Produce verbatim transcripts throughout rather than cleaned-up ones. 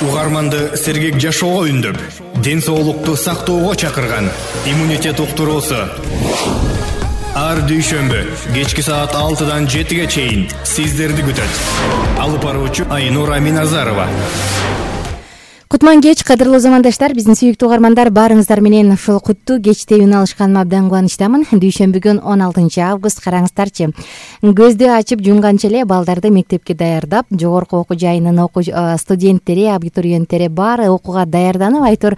Угарманды сергек жашоого үндөп, ден соолукту сактоого чакырган иммунитет уктуруусу. Ар дүйшөмбү кечки саат алтыдан жетиге чейин сиздерди күтөт. Алып баруучу Айнура Миназарова. Кутман кеч, кадырлуу замандаштар, биздин сүйүктүү угармандар, баарыңыздар менен ушул куттуу кечте үн алышканыма абдан кубанычтамын. Дүйшөмбү он алтынчы август, караңыздарчы. Көздү ачып жумганча эле балдарды мектепке даярдап, жогорку окуу жайынын окуу студенттери, абитуриенттери баары окууга даярданып, айтор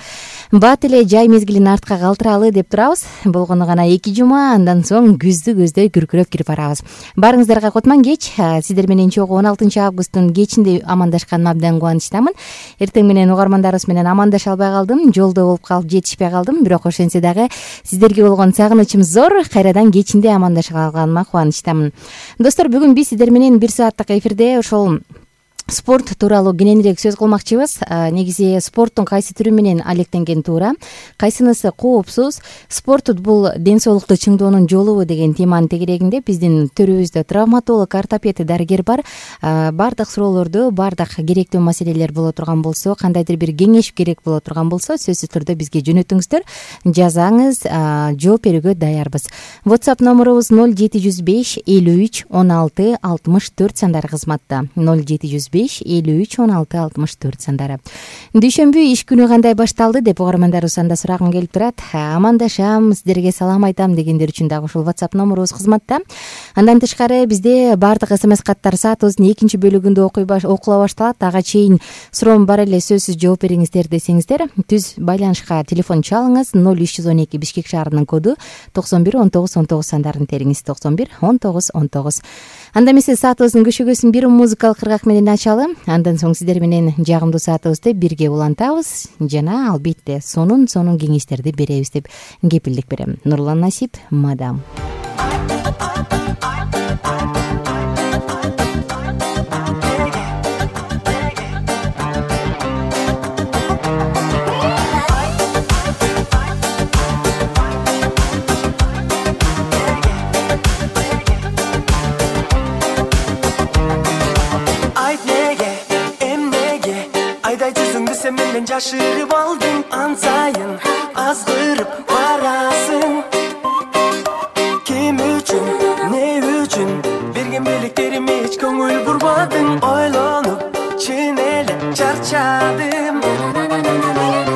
бат эле жай мезгилин артка калтыралы деп турабыз. Болгону гана эки жума, андан соң күздү көздөй күркүрөп кирип барабыз. Баарыңыздарга кутман кеч, сиздер менен чогуу он алтынчы августтун кечинде амандашканыма абдан кубанычтамын. Эртең менен угармандарыбыз менен амандаша албай калдым, жолдо болуп калып жетишпей калдым, бирок ошентсе дагы сиздерге болгон сагынычым зор. Кайрадан кечинде амандаша алганыма кубанычтамын. Достор, бүгүн биз сиздер менен бир сааттык эфирде ошол спорт тууралуу кененирээк сөз кылмакчыбыз. Негизи спорттун кайсы түрү менен алектенген туура, кайсынысы коопсуз, спорт бул ден соолукту чыңдоонун жолубу деген теманын тегерегинде биздин төрүбүздө травматолог, ортопед, дарыгер бар. Бардык суроолорду, бардык керектүү маселелер боло турган болсо, кандайдыр бир кеңеш керек боло турган болсо, сөзсүз түрдө бизге жөнөтүңүздөр, жазаңыз, жооп берүүгө даярбыз. WhatsApp номерубуз ноль жети жүз беш элүү үч он алты алтымыш төрт сандары кызматта. ноль жети жүз беш элүү үч он алты алтымыш төрт сандары. Дүйшөмбү иш күнү кандай башталды деп угармандарыбыз анда сурагым келип турат. Амандашам, сиздерге салам айтам дегендер үчүн дагы ушул WhatsApp номерубуз кызматта. Андан тышкары бизде бардык смс каттар саатыбыздын экинчи бөлүгүндө окула башталат. Ага чейин суроом бар эле, сөзсүз жооп бериңиздер десеңиздер, түз байланышка телефон чалыңыз. ноль үч жүз он эки Бишкек шаарынын коду токсон бир он тогуз он тогуз сандарын териңиз. токсон бир он тогуз он тогуз. Анда эмесе саатыбыздын көшөгөсүн бир музыкалык кыргак менен ачалы. Андан соң сиздер менен жагымдуу саатыбызды бирге улантабыз жана албетте сонун сонун кеңештерди беребиз деп кепилдик берем. Нурлан Насип, мадам. Sen menden жашырып алдың, ансайын азгырып барасың. Ким үчүн, не үчүн берген белектерим эч көңүл бурбадың. Ойлонуп, чын эле чарчадым.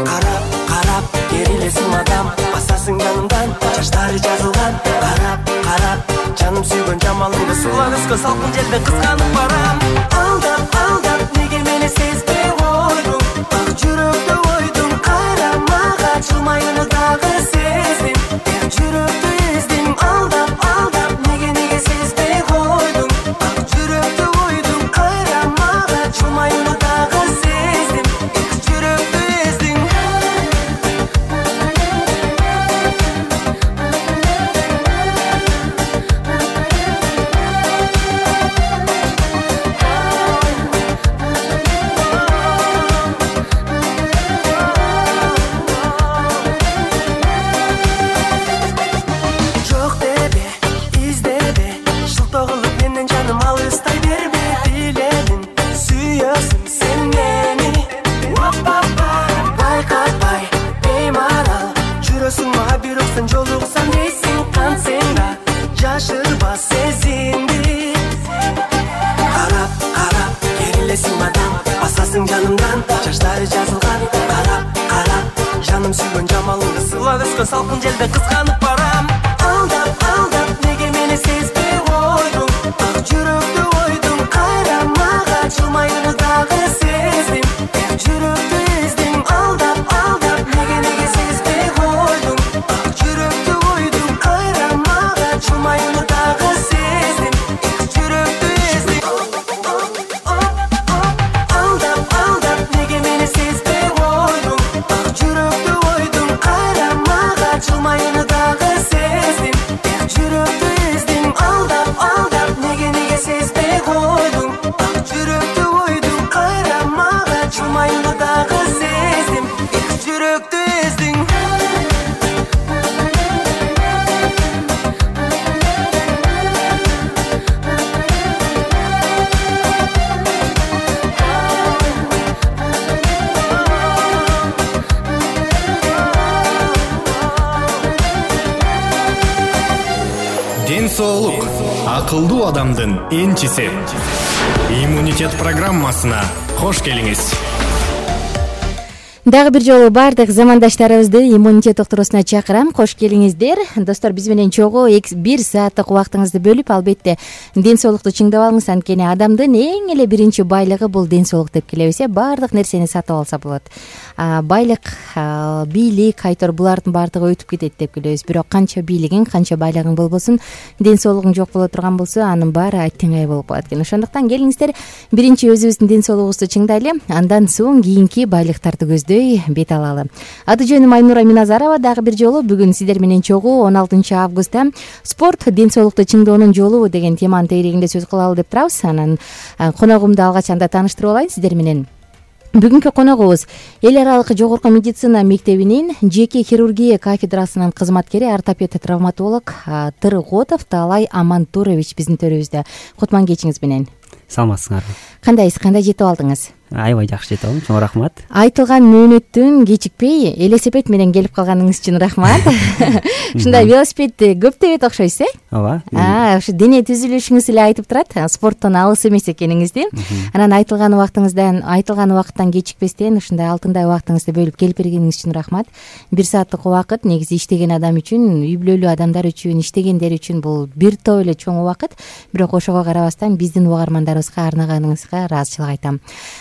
Карап, карап, керилесиң мадам, басасың жанымдан, жаштары жазылган. Карап, карап, жаным сүйгөн жамалыңды суларыска салкын жерде кызганып барам. Алдап, алдап, неге мени сезбей койдуң? Ак жүрөктө ойдум, кайрамага ачылмай уну дагы сездим. Жүрөктү эздим, алдап, алдап, неге неге сезбей койдуң? Ак жүрөктө ойдум, кайрамага ачылмай уну дагы сездим. Жүрөктү эздим. Салкын жерде кызганып барам. Алдап, алдап, неге мени сезбей койдуң? Ак жүрөктү ойдум, кайрамага ачылмай уну дагы сездим. Жүрөктү эздим, алдап, алдап, неге неге сезбей койдуң? Ак жүрөктү ойдум, кайрамага ачылмай уну дагы сездим. Жүрөктү эздим. Алдап, алдап, неге мени сезбей койдуң? Ак жүрөктү ойдум, кайрамага ачылмай уну дагы сездим. Жүрөктү эздим, алдап, алдап, неге неге сезбей койдуң? Ак жүрөктү ойдум, кайра соолук акылдуу адамдын энчиси. Иммунитет программасына кош келиңиз. Дагы бир жолу баардык замандаштарыбызды иммунитет доктурусуна чакырам. Кош келиңиздер. Достор, биз менен чогуу бир сааттык убактыңызды бөлүп, албетте ден соолукту чыңдап алыңыз. Анткени адамдын эң эле биринчи байлыгы бул ден соолук деп келебиз. Баардык нерсени сатып алса болот. Байлык, бийлик, айтор булардын баардыгы өтүп кетет деп келебиз. Бирок канча бийлигиң, канча байлыгың болбосун, ден соолугуң жок боло турган болсо, анын баары аттеңай болуп калат экен. Ошондуктан келиңиздер, биринчи өзүбүздүн ден соолугубузду чыңдайлы, андан соң кийинки байлыктарды көздөй бет алалы. Аты жөнүм Айнура Миназарова. Дагы бир жолу бүгүн сиздер менен чогуу он алтынчы августта спорт ден соолукту чыңдоонун жолу деген теманын тегерегинде сөз кылалы деп турабыз. Анан коногумду алгач анда тааныштырып алайын сиздер менен. Бүгүнкү коногубуз эл аралык жогорку медицина мектебинин жеке хирургия кафедрасынын кызматкери, ортопед травматолог Тырготов Таалай Амантурович биздин төрүбүздө. Кутман кечиңиз менен. Саламатсыңарбы? Кандайсыз? Кандай жетип алдыңыз? Аябай жакшы жетип алдым. Чоң рахмат. Айтылган мөөнөттүн кечикпей велосипед менен келип калганыңыз үчүн рахмат. Ушундай велосипедди көп тебет окшойсуз, э? Ооба. А, ошо дене түзүлүшүңүз эле айтып турат, спорттон алыс эмес экениңизди. Анан айтылган убактыңыздан, айтылган убакыттан кечикпестен ушундай алтындай убактыңызды бөлүп келип бергениңиз үчүн рахмат. Бир сааттык убакыт негизи иштеген адам үчүн, үй бүлөлүү адамдар үчүн, иштегендер үчүн бул бир топ эле чоң убакыт. Бирок ошого карабастан биздин угармандарыбызга арнаганыңызга ыраазычылык айтам.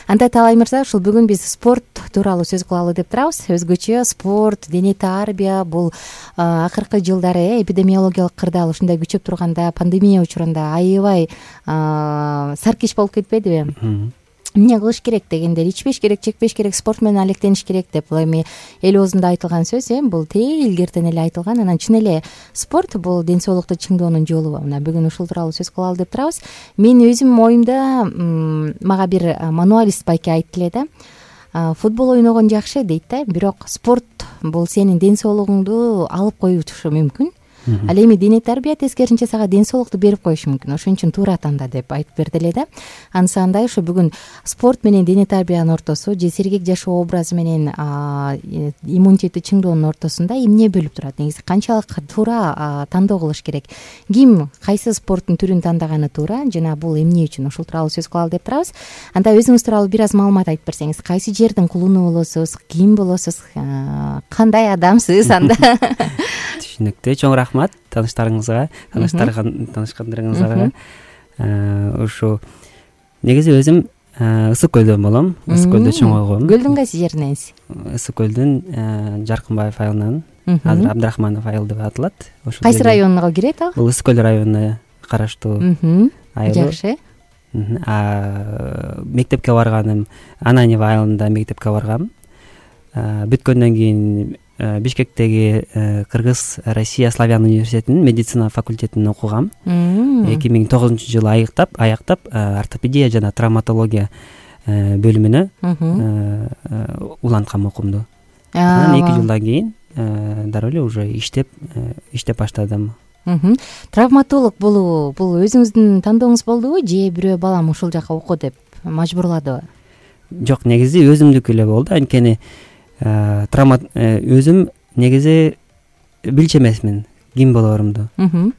Анда Таалай мырза, ушул бүгүн биз спорт тууралуу сөз кылалы деп турабыз. Өзгөчө спорт, дене тарбия бул акыркы жылдары эпидемиологиялык кырдаал ушундай күчөп турганда, пандемия учурунда аябай саркич болуп кетпедиби? Эмне кылыш керек дегендер, ичпеш керек, чекпеш керек, спорт менен алектениш керек деп бул эми эл оозунда айтылган сөз, э, бул тээ илгертен эле айтылган. Анан чын эле спорт бул ден соолукту чыңдоонун жолу. Мына бүгүн ушул тууралуу сөз кылалы деп турабыз. Мен өзүм оюмда мага бир мануалист байке айтты эле да. Футбол ойногон жакшы дейт да, бирок спорт бул сенин ден соолугуңду алып коюшу мүмкүн. Ал эми дене тарбия тескерисинче сага ден соолукту берип коюшу мүмкүн. Ошон үчүн туура танда деп айтып берди эле да. Ансандай ушу бүгүн спорт менен дене тарбиянын ортосу же сергек жашоо образы менен иммунитетти чыңдоонун ортосунда эмне бөлүп турат? Негизи канчалык туура тандоо кылыш керек? Ким кайсы спорттун түрүн тандаганы туура? Жана бул эмне үчүн? Ушул тууралуу сөз кылалы деп турабыз. Анда өзүңүз тууралуу бир аз маалымат айтып берсеңиз, кайсы жердин кулуну болосуз, ким болосуз, кандай адамсыз анда? Түшүнүктүү. Чоң рахмат тааныштарыңызга, таанышкандарыңызга. Ушу негизи өзүм Ысык көлдөн болом. Ысык көлдө чоңойгом. Көлдүн кайсы жериненсиз? Ысык көлдүн Жаркынбаев айылынан, азыр Абдрахманов айыл деп аталат. Кайсы районуна кирет ал? Бул Ысык көл районуна караштуу айыл. Жакшы. Мектепке барганым Ананьево айылында мектепке баргам. Бүткөндөн кийин Бишкектеги Кыргыз Россия Славян университетинин медицина факультетин окугам. эки миң тогузунчу жылы аяктап, аяктап ортопедия жана травматология бөлүмүнө уланткам окуумду. Анан эки жылдан кийин дароо эле уже иштеп иштеп баштадым. Травматолог болуу бул өзүңүздүн тандооңуз болдубу же бирөө балам ушул жака оку деп мажбурладыбы? Жок, негизи өзүмдүкү эле болду. Анткени травма өзүм негизи билчү эмесмин ким болоорумду.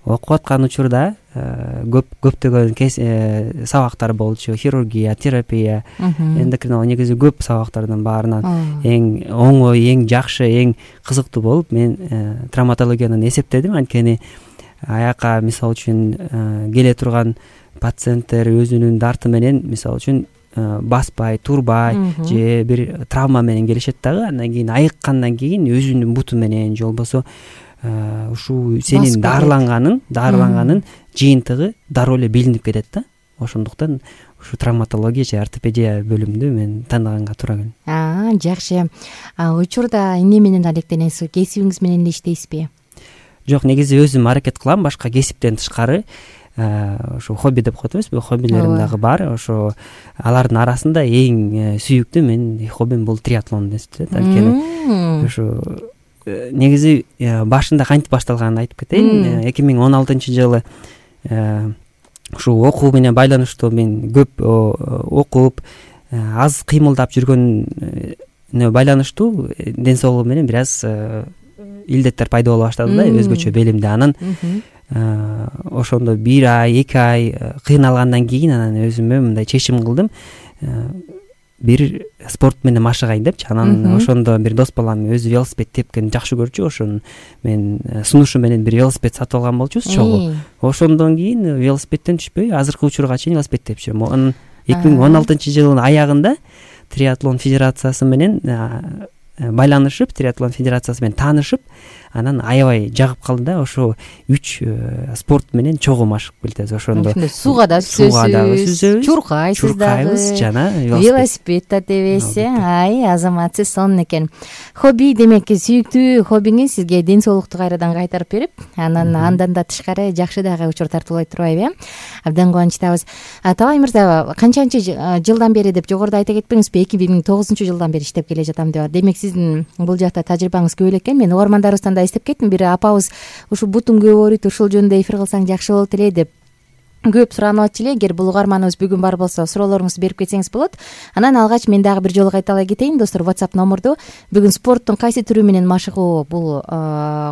Окуп аткан учурда көп көптөгөн сабактар болчу. Хирургия, терапия, эндокринология, негизи көп сабактардын баарынан эң оңой, эң жакшы, эң кызыктуу болуп мен травматологияны эсептедим. Анткени аяка мисалы үчүн келе турган пациенттер өзүнүн дарты менен мисалы үчүн баспай, турбай же бир травма менен келишет дагы. Андан кийин айыккандан кийин өзүнүн буту менен же болбосо ушул сенин дарыланганын, дарыланганын жыйынтыгы дароо эле билинип кетет да. Ошондуктан ушу травматология же ортопедия бөлүмүндү мен тандаганга туура келди. А, жакшы. Учурда эмне менен алектенесиз? Кесибиңиз менен эле иштейсизби? Жок, негизи өзүм аракет кылам башка кесиптен тышкары. Ошо хобби деп коет эмеспи, хоббилерим дагы бар. Ошо алардын арасында эң сүйүктүү менин хоббим бул триатлон деп. Анткени ошо негизи башында кантип башталганын айтып кетейин. эки миң он алтынчы жылы ушул окуу менен байланыштуу мен көп окуп, аз кыймылдап жүргөнүнө байланыштуу ден соолугум менен бир аз илдеттер пайда боло баштады да, өзгөчө белимде. Анан ошондо бир ай эки ай кыйналгандан кийин анан өзүмө мындай чечим кылдым, бир спорт менен машыгайын депчи. Анан ошондо бир дос балам өзү велосипед тепкенди жакшы көрчү, ошону мен сунушу менен бир велосипед сатып алган болчубуз чогуу. Ошондон кийин велосипедден түшпөй азыркы учурга чейин велосипед тепип жүрөм. Анан эки миң он алтынчы жылдын аягында триатлон федерациясы менен байланышып, триатлон федерациясы менен таанышып, анан аябай жагып калды да. Ошо үч спорт менен чогуу машыгып келатабыз. Ошондо сууга да сүзөбүз, чуркайсыз дагы, жана велосипед да тебесиз. Ай, азаматсыз сонун экен. Хобби демек, сүйүктүү хоббиңиз сизге ден соолукту кайрадан кайтарып берип, анан андан да тышкары жакшы дагы учур тартуулай турбайбы? Абдан кубанычтабыз. Табай мырза, канчанчы жылдан бери деп жогоруда айта кетпеңизби, эки миң тогузунчу жылдан бери иштеп келе жатам деп. Демек сиздин бул жакта тажрыйбаңыз көп эле экен. Мен угармандарыбыздан да эстеп кеттим, бир апабыз ушул бутум көп ооруйт, ушул жөнүндө эфир кылсаң жакшы болот эле деп көп суранып атчу эле. Эгер бул угарманыбыз бүгүн бар болсо, суроолоруңузду берип кетсеңиз болот. Анан алгач мен дагы бир жолу кайталай кетейин достор. WhatsApp номурду бүгүн спорттун кайсы түрү менен машыгуу бул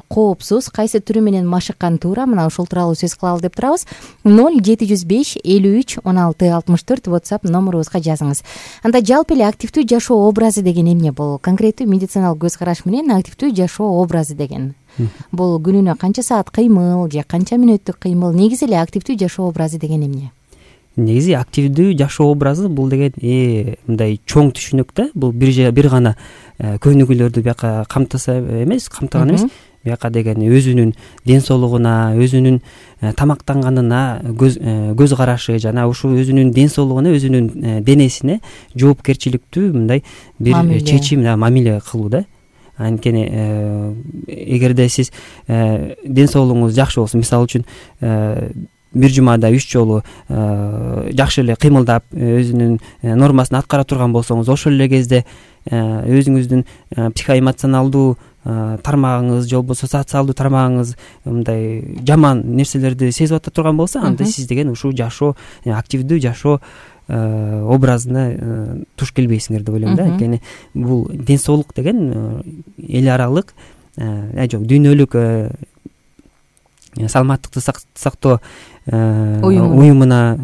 коопсуз, кайсы түрү менен машыккан туура, мына ушул тууралуу сөз кылалы деп турабыз. ноль жети жүз беш элүү үч он алты алтымыш төрт WhatsApp номурубузга жазыңыз. Анда жалпы эле активдүү жашоо образы деген эмне? Бул конкреттүү медициналык көз караш менен активдүү жашоо образы деген бул күнүнө канча саат кыймыл же канча мүнөттүк кыймыл? Негизи эле активдүү жашоо образы деген эмне? Негизи активдүү жашоо образы бул деген э мындай чоң түшүнүк да. Бул бир бир гана көнүгүүлөрдү бияка камтыса эмес, камтыган эмес. Бияка деген өзүнүн ден соолугуна, өзүнүн тамактанганына көз көз карашы жана ушул өзүнүн ден соолугуна, өзүнүн денесине жоопкерчиликтүү мындай бир чечим, мамиле кылуу да. Анткени эгерде сиз ден соолугуңуз жакшы болсо, мисалы үчүн бир жумада үч жолу жакшы эле кыймылдап өзүнүн нормасын аткара турган болсоңуз, ошол эле кезде өзүңүздүн психоэмоционалдуу тармагыңыз же болбосо социалдуу тармагыңыз мындай жаман нерселерди сезип ата турган болсо, анда сиз деген ушул жашоо, активдүү жашоо образына туш келбейсиңер деп ойлойм да. Анткени бул ден соолук деген эл аралык, жок, дүйнөлүк саламаттыкты сактоо уюмуна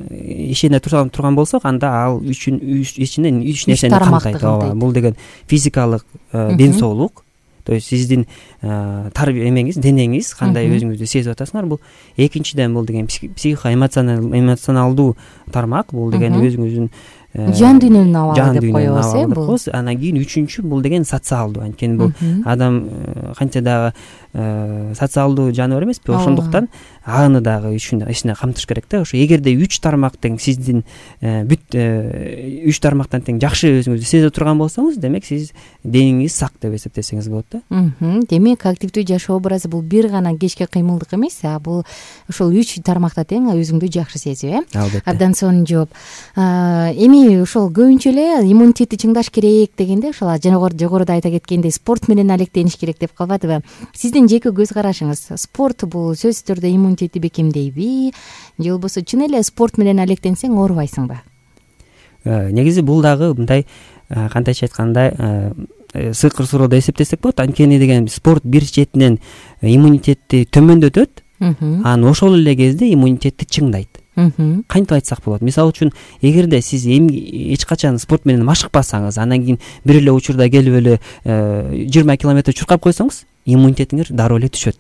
ишене турган болсок, анда ал үчүн ичинен үч нерсени камтайт. Бул деген физикалык ден соолук, то есть сиздин эмеңиз, денеңиз кандай өзүңүздү сезип атасыңар. Бул экинчиден бул деген психоэмоционалдуу тармак, бул деген өзүңүздүн жан дүйнөнүн абалы деп коебуз э бул. Анан кийин үчүнчү бул деген социалдуу. Анткени бул адам канча дагы социалдуу жаныбар эмеспи, ошондуктан аны дагы ичине камтыш керек да. Ошо эгерде үч тармак тең сиздин бүт үч тармактан тең жакшы өзүңүздү сезип турган болсоңуз, демек сиз денеңиз сак деп эсептесеңиз болот да. Демек активдүү жашоо образы бул бир гана кечке кыймылдык эмес, а бул ошол үч тармакта тең өзүңдү жакшы сезип, э? Абдан сонун жооп. Эми ошол көбүнчө эле иммунитетти чыңдаш керек дегенде, ошол жогоруда айта кеткендей спорт менен алектениш керек деп калбадыбы? Сиздин жеке көз карашыңыз, спорт бул сөзсүз түрдө иммунитетти бекемдейби же болбосо чын эле спорт менен алектенсең оорубайсыңбы? Негизи бул дагы мындай, кантайча айтканда, сыйкыр суроо деп эсептесек болот. Анткени деген спорт бир четинен иммунитетти төмөндөтөт, анан ошол эле кезде иммунитетти чыңдайт. Кантип айтсак болот? Мисалы үчүн, эгерде сиз эч качан спорт менен машыкпасаңыз, анан кийин бир эле учурда келип эле жыйырма километр чуркап койсоңуз, иммунитетиңер дароо эле түшөт.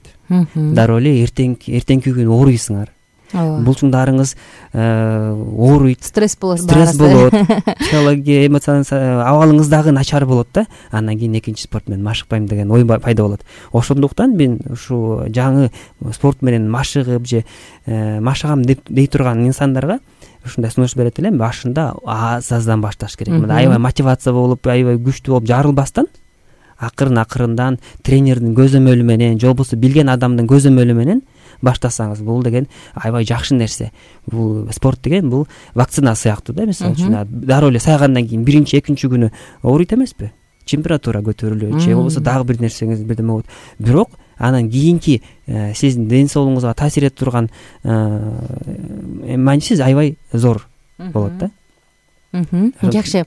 Дароо эле эртеңки күнү ооруйсуңар. Булчуңдарыңыз ооруйт, стресс болот, стресс болот, психология, эмоционал абалыңыз дагы начар болот да. Андан кийин экинчи спорт менен машыкпайм деген ой пайда болот. Ошондуктан мен ушу жаңы спорт менен машыгып же машыгам дей турган инсандарга ушундай сунуш берет элем. Башында аз-аздан башташ керек. Мына аябай мотивация болуп, аябай күчтүү болуп жарылбастан, акырын акырындан тренердин көзөмөлү менен же болбосо билген адамдын көзөмөлү менен баштасаңыз, бул деген аябай жакшы нерсе. Бул спорт деген бул вакцина сыяктуу да. Мисалы үчүн, дароо эле сайгандан кийин биринчи, экинчи күнү ооруйт эмеспи? Температура көтөрүлөт же болбосо дагы бир нерсеңиз бирдеме болот. Бирок анан кийинки сиздин ден соолугуңузга таасир этип турган маанисиз аябай зор болот да. Жакшы.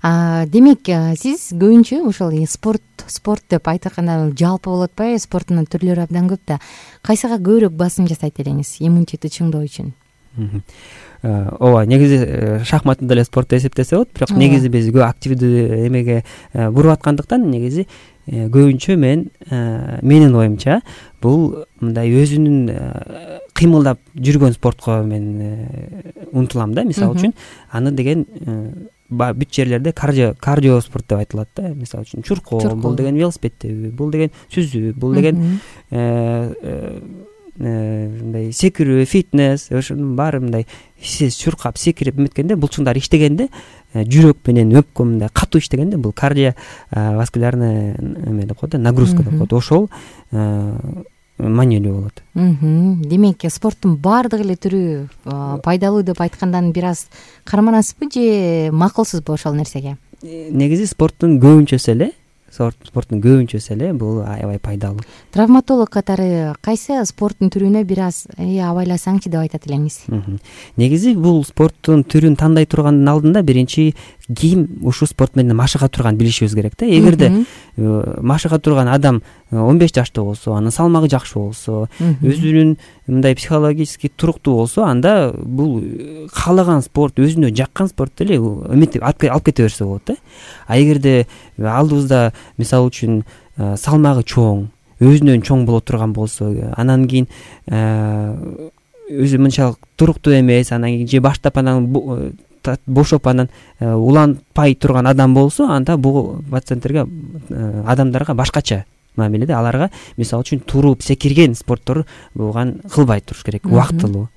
Демек, сиз көбүнчө ошол спорт спорт спорт деп айтканда жалпы болуп атпайбы, спорттун түрлөрү абдан көп да. Кайсыга көбүрөөк басым жасайт элеңиз иммунитетти чыңдоо үчүн? ооба, негизи шахматты деле спорт деп эсептесе болот, бирок негизи биз көп активдүү эмеге буруп аткандыктан негизи көбүнчө мен менин оюмча бул мындай өзүнүн кыймылдап жүргөн спортко мен умтулам да. Мисалы үчүн аны деген бүт жерлерде кардио кардио спорт деп айтылат да. Мисалы үчүн чуркоо, бул деген велосипед тебүү, бул деген сүзүү, бул деген мындай секирүү, фитнес, ошонун баары мындай чуркап секирип эметкенде булчуңдар иштегенде, жүрөк менен өпкө мындай катуу иштегенде бул кардиоваскулярный эме деп коет да, нагрузка деп коет. Ошол маанилүү болот. Демек спорттун баардык эле түрү пайдалуу деп айткандан бир аз карманасызбы же макулсузбу ошол нерсеге? Негизи спорттун көбүнчөсү эле спорттун көбүнчөсү эле бул аябай пайдалуу. Травматолог катары кайсы спорттун түрүнө бир аз абайласаңчы деп айтат элеңиз? Негизи бул спорттун түрүн тандай тургандын алдында биринчи ким ушул спорт менен машыга турганын билишибиз керек да. Эгерде машыга турган адам он беш жаштуу болсо, анын салмагы жакшы болсо, өзүнүн мындай психологически туруктуу болсо, анда бул каалаган спорт, өзүнө жаккан спорт эле эметип алып кете берсе болот да. А эгерде алдыбызда мисалы үчүн салмагы чоң, өзүнөн чоң боло турган болсо, анан кийин өзү мынчалык туруктуу эмес, анан кийин же баштап анан бошоп анан уланпай турган адам болсо, анда бул пациенттерге, адамдарга башкача мамиледе. Аларга мисалы үчүн туруп секирген спорттор буган кылбай туруш керек, убактылуу.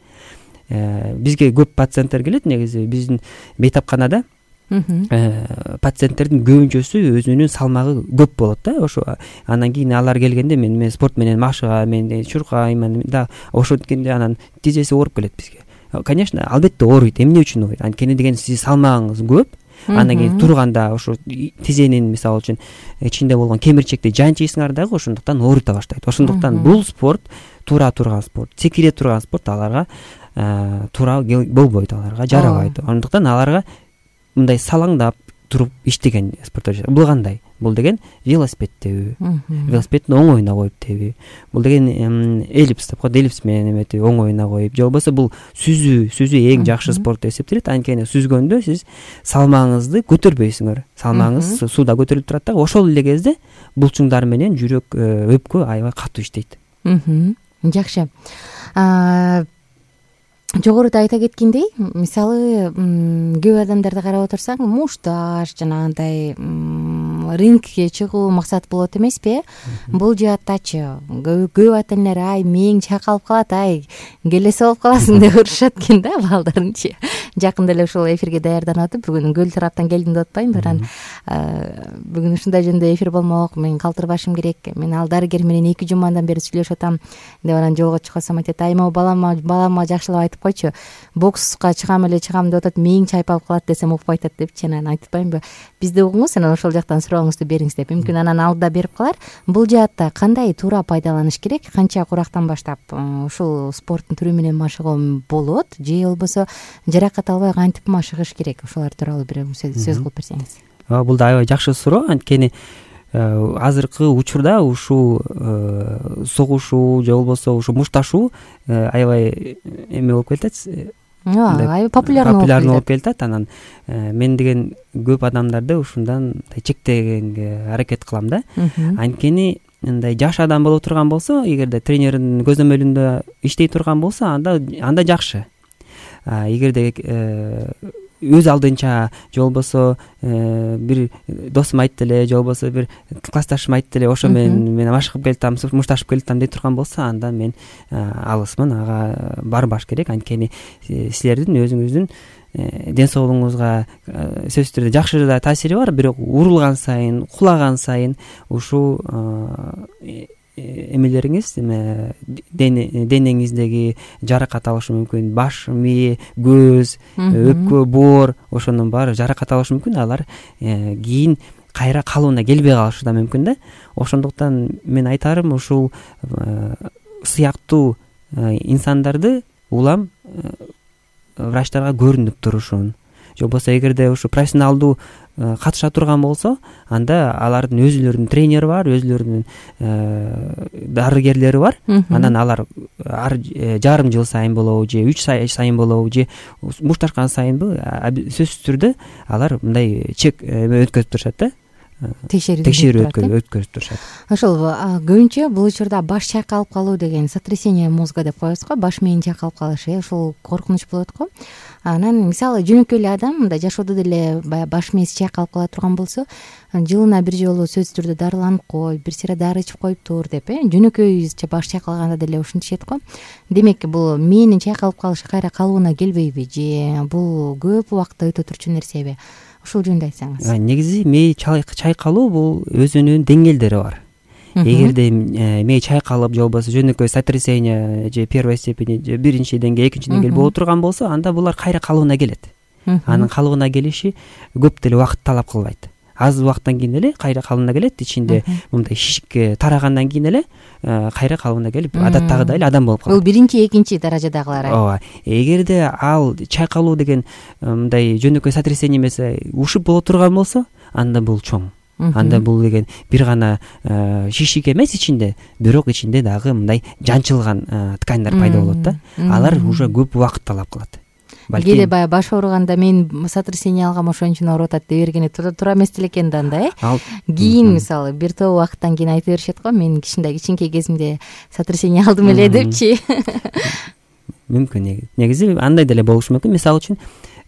Бизге көп пациенттер келет, негизи биздин бейтапканада пациенттердин көбүнчөсү өзүнүн салмагы көп болот да. Ошо анан кийин алар келгенде мен мен спорт менен машыга, мен чуркайм да, ошенткенде анан тизеси ооруп келет бизге. Конечно, албетте ооруйт. Эмне үчүн ооруйт? Анткени деген сиздин салмагыңыз көп. Андан кийин турганда ошо тизенин мисалы үчүн ичинде болгон кемирчекти жанчыйсыңар дагы, ошондуктан ооруйта баштайт. Ошондуктан бул спорт туура турган спорт, секире турган спорт аларга туура болбойт, аларга жарабайт. Ошондуктан аларга мындай салаңдап туруп иштеген спорттор. Бул кандай? Бул деген велосипед тебүү, велосипеддин оңоюна коюп тебүү. Бул деген эллипс деп коет, эллипс менен эметип оңоюна коюп, же болбосо бул сүзүү, сүзүү эң жакшы спорт деп эсептелет. Анткени сүзгөндө сиз салмагыңызды көтөрбөйсүңөр. Салмагыңыз сууда көтөрүлүп турат да, ошол эле кезде булчуңдар менен жүрөк, өпкө аябай катуу иштейт. Жакшы. Жогоруда айта кеткендей, мисалы көп адамдарды карап отурсаң, мушташ жанагындай рингке чыгуу максат болот эмеспи? Бул жааттачы көп ата энелер ай мээң чайкалып калат, ай келесе болуп каласың деп урушат экен да балдарынчы. Жакында эле ушул эфирге даярданып атып, бүгүн Көл тараптан келдим деп атпаймынбы, анан бүгүн ушундай жөнүндө эфир болмок, мен калтырбашым керек, мен ал дарыгер менен эки жумадан бери сүйлөшүп атам деп анан жолго чыксам айтат, ай могу балама балама жакшылап айтып койчу, бокска чыгам эле чыгам деп атат, мээң чайпалып калат десем укпай атат депчи. Анан айтып атпаймынбы, бизди угуңуз, анан ошол жактан сурооңузду бериңиз деп. Мүмкүн анан алдыда берип калар. Бул жаатта кандай туура пайдаланыш керек, канча курактан баштап ушул спорттун түрү менен машыгуу болот, же болбосо жаракат албай кантип машыгыш керек? Ошолор тууралуу бир сөз кылып берсеңиз. Бул да аябай жакшы суроо. Анткени азыркы учурда ушул согушуу же болбосо ушу мушташуу аябай эме болуп кетет, аябай популярный болуп кетет. Анан мен деген көп адамдарды ушундан чектегенге аракет кылам да. Анткени мындай жаш адам боло турган болсо, эгерде тренердин көзөмөлүндө иштей турган болсо, анда анда жакшы. Эгерде өз алдынча же болбосо бир досум айтты эле, же болбосо бир классташым айтты эле, ошо менен мен машыгып келатам, мушташып келатам дей турган болсо, анда мен алысмын, ага барбаш керек. Анткени силердин өзүңүздүн ден соолугуңузга сөзсүз түрдө жакшы да таасири бар, бирок урулган сайын, кулаган сайын ушул эмелериңиз, денеңиздеги жаракат алышы мүмкүн. Баш, мээ, көз, өпкө, боор, ошонун баары жаракат алышы мүмкүн. Алар кийин кайра калыбына келбей калышы да мүмкүн да. Ошондуктан мен айтарым, ушул сыяктуу инсандарды улам врачтарга көрүнүп турушун. Же болбосо эгерде ушу профессионалдуу катыша турган болсо, анда алардын өзүлөрүнүн тренери бар, өзүлөрүнүн дарыгерлери бар. Анан алар ар жарым жыл сайын болобу же үч ай сайын болобу же мушташкан сайынбы сөзсүз түрдө алар мындай чек өткөзүп турушат да, текшерүү өткөзүп турушат. Ошол көбүнчө бул учурда баш чайкалып калуу деген сотрясение мозга деп коебуз го, баш мээни чайкалып калышы, ошол коркунуч болот го. Анан мисалы жөнөкөй эле адам мындай жашоодо деле баягы баш мээси чайкалып кала турган болсо, жылына бир жолу сөзсүз түрдө дарыланып кой, бир сыйра дары ичип коюп тур деп, э жөнөкөйүзчө баш чайкалганда деле ушинтишет го. Демек бул мээнин чайкалып калышы кайра калыбына келбейби же бул көп убакытта өтө турчу нерсеби? Ушул жөнүндө айтсаңыз. Негизи мээ чайкалуу бул өзүнүн деңгээлдери бар. Эгерде мээ чайкалып же болбосо жөнөкөй сотрясение же первой степени же биринчи деңгээл, экинчи деңгээл боло турган болсо, анда булар кайра калыбына келет. Анын калыбына келиши көп деле убакыт талап кылбайт. Аз убакыттан кийин эле кайра калыбына келет. Ичинде мындай шишик тарагандан кийин эле кайра калыбына келип, адаттагыдай эле адам болуп калат. Бул биринчи, экинчи даражадагылар. Ооба. Эгерде ал чайкалуу деген мындай жөнөкөй сотрясение эмес, ушуп боло турган болсо, анда бул чоң. Анда бул деген бир гана шишик эмес ичинде, бирок ичинде дагы мындай жанчылган тканьдар пайда болот да. Алар уже көп убакыт талап кылат. Кээде баягы баш ооруганда мен сотрясение алгам, ошон үчүн ооруп атат деп бергени туура эмес деле экен да анда, э. Кийин мисалы бир топ убакыттан кийин айта беришет го, мен кичинде кичинекей кезимде сотрясение алдым эле депчи. Мүмкүн, негизи андай деле болушу мүмкүн. Мисалы үчүн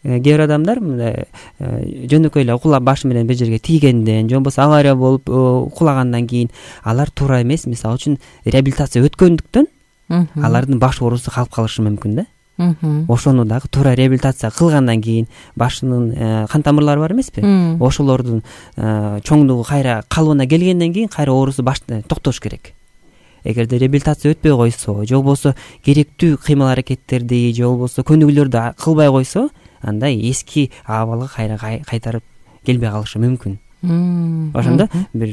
кээ бир адамдар мындай жөнөкөй эле кулап башы менен бир жерге тийгенден же болбосо авария болуп кулагандан кийин алар туура эмес, мисалы үчүн реабилитация өткөндүктөн алардын баш оорусу калып калышы мүмкүн да. Ошону дагы туура реабилитация кылгандан кийин башынын кан тамырлары бар эмеспи? Ошолордун чоңдугу кайра калыбына келгенден кийин кайра оорусу баштан токтош керек. Эгерде реабилитация өтпөй койсо, же болбосо керектүү кыймыл аракеттерди же болбосо көнүгүүлөрдү кылбай койсо, анда эски абалга кайра кайтарып келбей калышы мүмкүн. Ошондо бир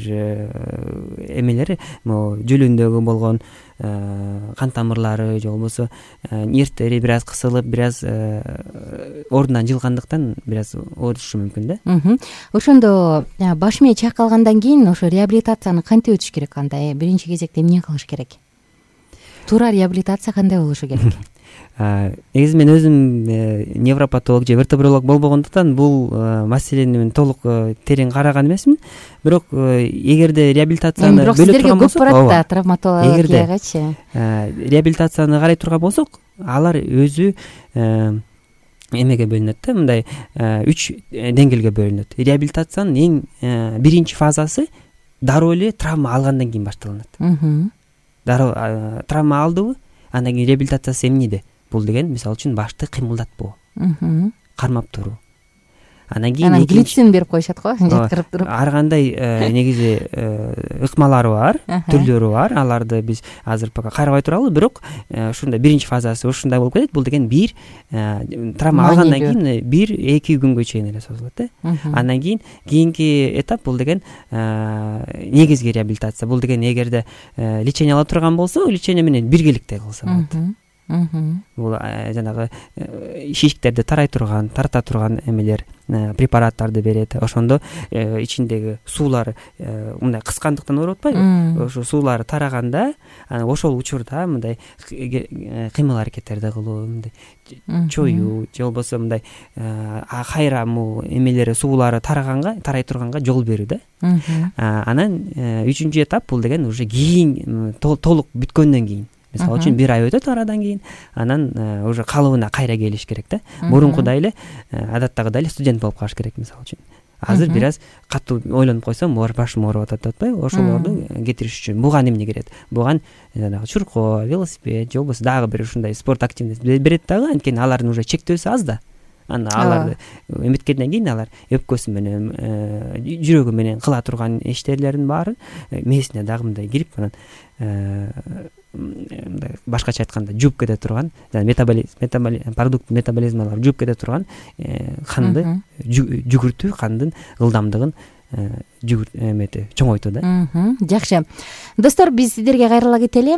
эмелери, могу жүлүндөгү болгон кан тамырлары же болбосо нервтери бир аз кысылып, бир аз ордунан жылгандыктан бир аз оорутушу мүмкүн да. Ошондо баш мээ чайкалгандан кийин ошо реабилитацияны кантип өтүш керек анда? Биринчи кезекте эмне кылыш керек? Туура реабилитация кандай болушу керек? Негизи мен өзүм невропатолог же вертебролог болбогондуктан бул маселени мен толук терең караган эмесмин. Бирок эгерде реабилитацияны бөлөп турган болсок, көп барат да травматологиягачы. Реабилитацияны карай турган болсок, алар өзү эмеге бөлүнөт да, мындай үч деңгээлге бөлүнөт. Реабилитациянын эң биринчи фазасы дароо эле травма алгандан кийин башталат. Дароо травма алдыбы, андан кийин реабилитациясы эмнеде? Бул деген мисалы үчүн башты кыймылдатпоо, кармап туруу. Анан кийин анан глицин берип коюшат го, жаткырып туруп. Ар кандай негизи ыкмалары бар, түрлөрү бар. Аларды биз азыр пока карабай туралы, бирок ушундай биринчи фазасы ушундай болуп кетет. Бул деген бир травма алгандан кийин бир-эки күнгө чейин эле созулат да. Андан кийин кийинки этап бул деген негизги реабилитация. Бул деген эгерде лечение ала турган болсо, лечение менен биргеликте кылса болот. Бул жанагы шишиктерди тарай турган, тарта турган эмелер, препараттарды берет. Ошондо ичиндеги суулар мындай кыскандыктан ооруп атпайбы? Ошо суулар тараганда, ошол учурда мындай кыймыл аракеттерди кылуу, мындай чоюу же болбосо мындай кайра эмелери суулары тараганга, тарай турганга жол берүү да. Анан үчүнчү этап бул деген уже кийин толук бүткөндөн кийин. Мисалы үчүн бир ай өтөт арадан кийин, анан уже калыбына кайра келиш керек да. Мурункудай эле, адаттагыдай эле студент болуп калыш керек мисалы үчүн. Азыр бир аз катуу ойлонуп койсом, башым ооруп атат деп атпайбы? Ошолорду кетириш үчүн буга эмне керет? Буга жанагы чуркоо, велосипед же болбосо дагы бир ушундай спорт активность берет дагы, анткени алардын уже чектөөсү аз да. Анда аларды эметкенден кийин алар өпкөсү менен, жүрөгү менен кыла турган иштерлердин баары мээсине дагы мындай кирип, анан мындай башкача айтканда жууп кете турган, метаболизм, продукт метаболизмалары жууп кете турган канды жүгүртүү, кандын ылдамдыгын жүгүр эмети чоңойту да. Жакшы достор, биз сиздерге кайрыла кетели.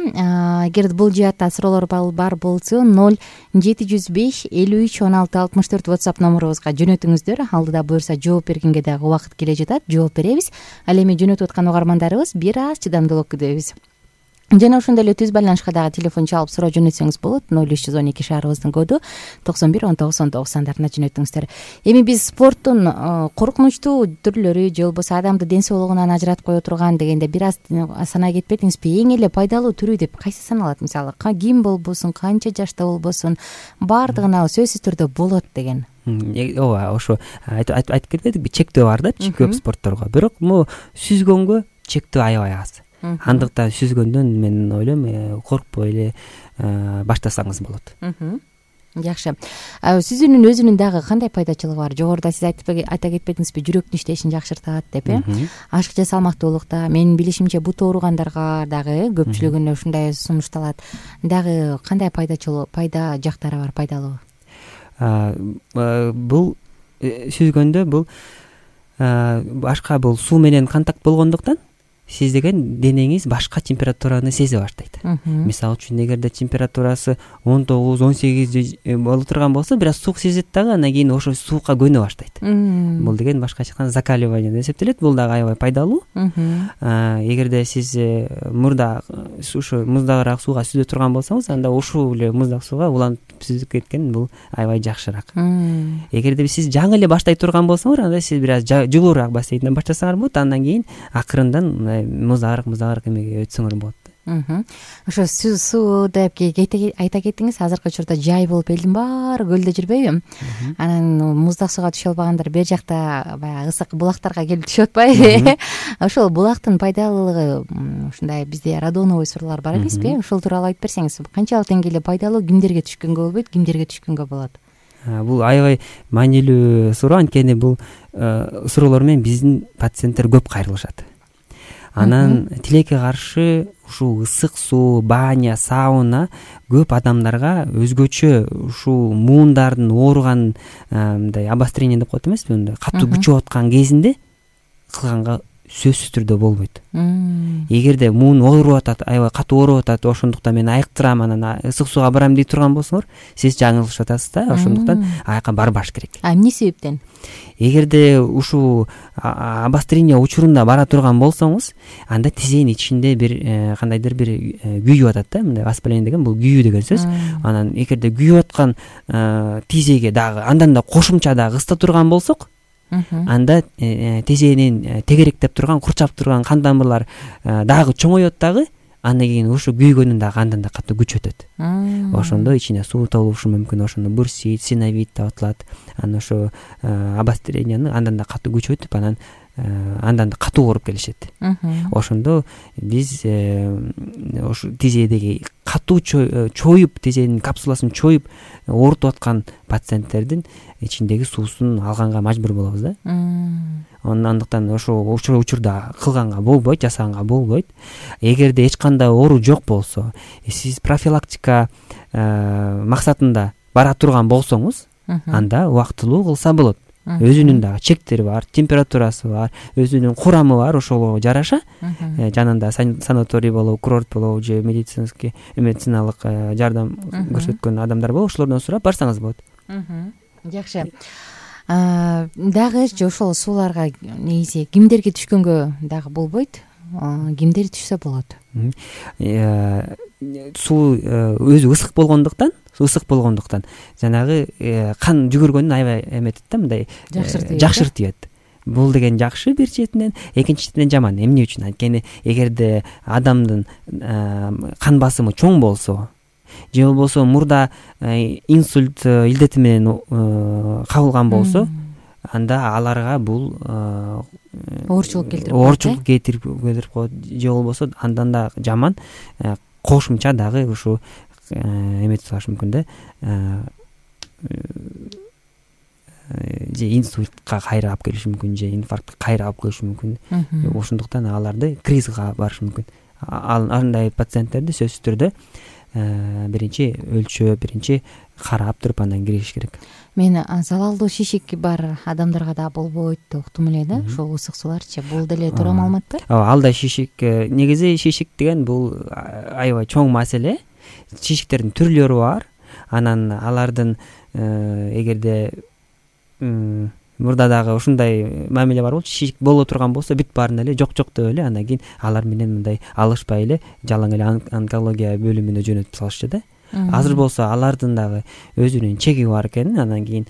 Эгер бул жаатта суроолор бар болсо ноль жети жүз беш элүү үч он алты алтымыш төрт WhatsApp номурубузга жөнөтүңүздөр. Алдыда буюрса жооп бергенге дагы убакыт келе жатат, жооп беребиз. Ал эми жөнөтүп аткан угармандарыбыз бир аз чыдамдуулук күтөбүз. Жана ошондой эле түз байланышка дагы телефон чалып суроо жөнөтсөңүз болот. ноль үч жүз он эки шаарыбыздын коду токсон бир он тогуз он тогуз сандарына жөнөтүңүздөр. Эми биз спорттун коркунучтуу түрлөрү же болбосо адамды ден соолугунан ажыратып кое турган дегенде бир аз санай кетпедиңизби? Эң эле пайдалуу түрү деп кайсы саналат? Мисалы ким болбосун, канча жашта болбосун, баардыгына сөзсүз түрдө болот деген. Ооба, ошо айтып кетпедикпи, чектөө бар да көп спортторго. Бирок могу сүзгөнгө чектөө аябай аз. Андыктан сүзгөндөн мен ойлойм коркпой эле баштасаңыз болот. Жакшы. Сүзүүнүн өзүнүн дагы кандай пайдачылыгы бар? Жогоруда сиз айта кетпедиңизби, жүрөктүн иштешин жакшыртат деп э? Ашыкча салмактуулукта, менин билишимче бут ооругандарга дагы көпчүлүгүнө ушундай сунушталат. Дагы кандай пайдачылыгы, пайда жактары бар, пайдалуу? Бул сүзгөндө бул башка бул суу менен контакт болгондуктан сиз деген денеңиз башка температураны сезе баштайт. Мисалы үчүн эгерде температурасы он тогуз он сегиз боло турган болсо, бир аз суук сезет дагы, андан кийин ошо суукка көнө баштайт. Бул деген башкача айтканда закаливание деп эсептелет. Бул дагы аябай пайдалуу. Эгерде сиз мурда ушу муздагыраак сууга сүзө турган болсоңуз, анда ушул эле муздак сууга уланып сүзүп кеткен бул аябай жакшыраак. Эгерде сиз жаңы эле баштай турган болсоңуз, анда сиз бир аз жылуураак бассейнден баштасаңар болот, андан кийин акырындан муздагыраак муздагыраак эмеге өтсөңөр болот. Ошо суу деп айта кеттиңиз, азыркы учурда жай болуп элдин баары көлдө жүрбөйбү? Анан муздак сууга түшө албагандар бер жакта баягы ысык булактарга келип түшүп атпайбы? Ошол булактын пайдалуулугу, ушундай бизде радоновый суроолор бар эмеспи? Ошол тууралуу айтып берсеңиз, канчалык деңгээлде пайдалуу, кимдерге түшкөнгө болбойт, кимдерге түшкөнгө болот? Бул аябай маанилүү суроо, анткени бул суроолор менен биздин пациенттер көп кайрылышат. Анан тилекке каршы ушул ысык суу, баня, сауна көп адамдарга өзгөчө ушул муундардын ооруган, мындай обострение деп коет эмеспи, мындай катуу күчөп аткан кезинде кылганга сөзсүз түрдө болбойт. Эгерде муун ооруп атат, аябай катуу ооруп атат, ошондуктан мен айыктырам, анан ысык сууга барам дей турган болсоңор, сиз жаңылышып атасыз да. Ошондуктан аяка барбаш керек. А эмне себептен? Эгерде ушул обострение учурунда бара турган болсоңуз, анда тизенин ичинде бир кандайдыр бир күйүп атат да, мындай воспаление деген бул күйүү деген сөз. Анан эгерде күйүп аткан тизеге дагы андан да кошумча дагы ысыта турган болсок, анда тизенин тегеректеп турган, курчап турган кан тамырлар дагы чоңоет дагы, андан кийин ушу күйгөнүн дагы андан да катуу күч өтөт. Ошондо ичине суу толушу мүмкүн, ошондо бурсит, синовит деп аталат. Анан ошо обостренияны андан да катуу күч өтүп, анан андан да катуу ооруп келишет. Ошондо биз ошо тизедеги катуу чоюп, тизенин капсуласын чоюп оорутуп аткан пациенттердин ичиндеги суусун алганга мажбур болобуз да. Андыктан ошо учурда кылганга болбойт, жасаганга болбойт. Эгерде эч кандай оору жок болсо, сиз профилактика максатында бара турган болсоңуз, анда убактылуу кылса болот. Өзүнүн дагы чектери бар, температурасы бар, өзүнүн курамы бар, ошого жараша жанында санаторий болобу, курорт болобу же медицинский медициналык жардам көрсөткөн адамдар болобу, ошолордон сурап барсаңыз болот. Жакшы. Дагы же ошол сууларга негизи кимдерге түшкөнгө дагы болбойт? Кимдер түшсө болот? Суу өзү ысык болгондуктан, ысык болгондуктан жанагы кан жүгүргөнүн аябай эметет да, мындай жакшыртып. Бул деген жакшы бир четинен, экинчи четинен жаман. Эмне үчүн? Анткени эгерде адамдын кан басымы чоң болсо, же болбосо мурда инсульт илдети менен кабылган болсо, анда аларга бул оорчулук келтирип оорчулук келтирип коет, же болбосо андан да жаман кошумча дагы ушу эметип салышы мүмкүн да, же инсультка кайра алып келиши мүмкүн, же инфарктка кайра алып келиши мүмкүн. Ошондуктан аларды кризиске барышы мүмкүн. Андай пациенттерди сөзсүз түрдө биринчи өлчөп, биринчи карап туруп анан киришиш керек. Мен залалдуу шишик бар адамдарга да болбойт деп уктум эле да, ошол ысык сууларчы. Бул деле туура маалыматпы? Ооба, ал да шишик. Негизи шишик деген бул аябай чоң маселе. Шишиктердин түрлөрү бар. Анан алардын эгерде мурда дагы ушундай мамиле бар болчу, шишик боло турган болсо бүт баарын эле жок жок деп эле анан кийин алар менен мындай алышпай эле жалаң эле онкология бөлүмүнө жөнөтүп салышчу да. Азыр болсо алардын дагы өзүнүн чеги бар экенин, анан кийин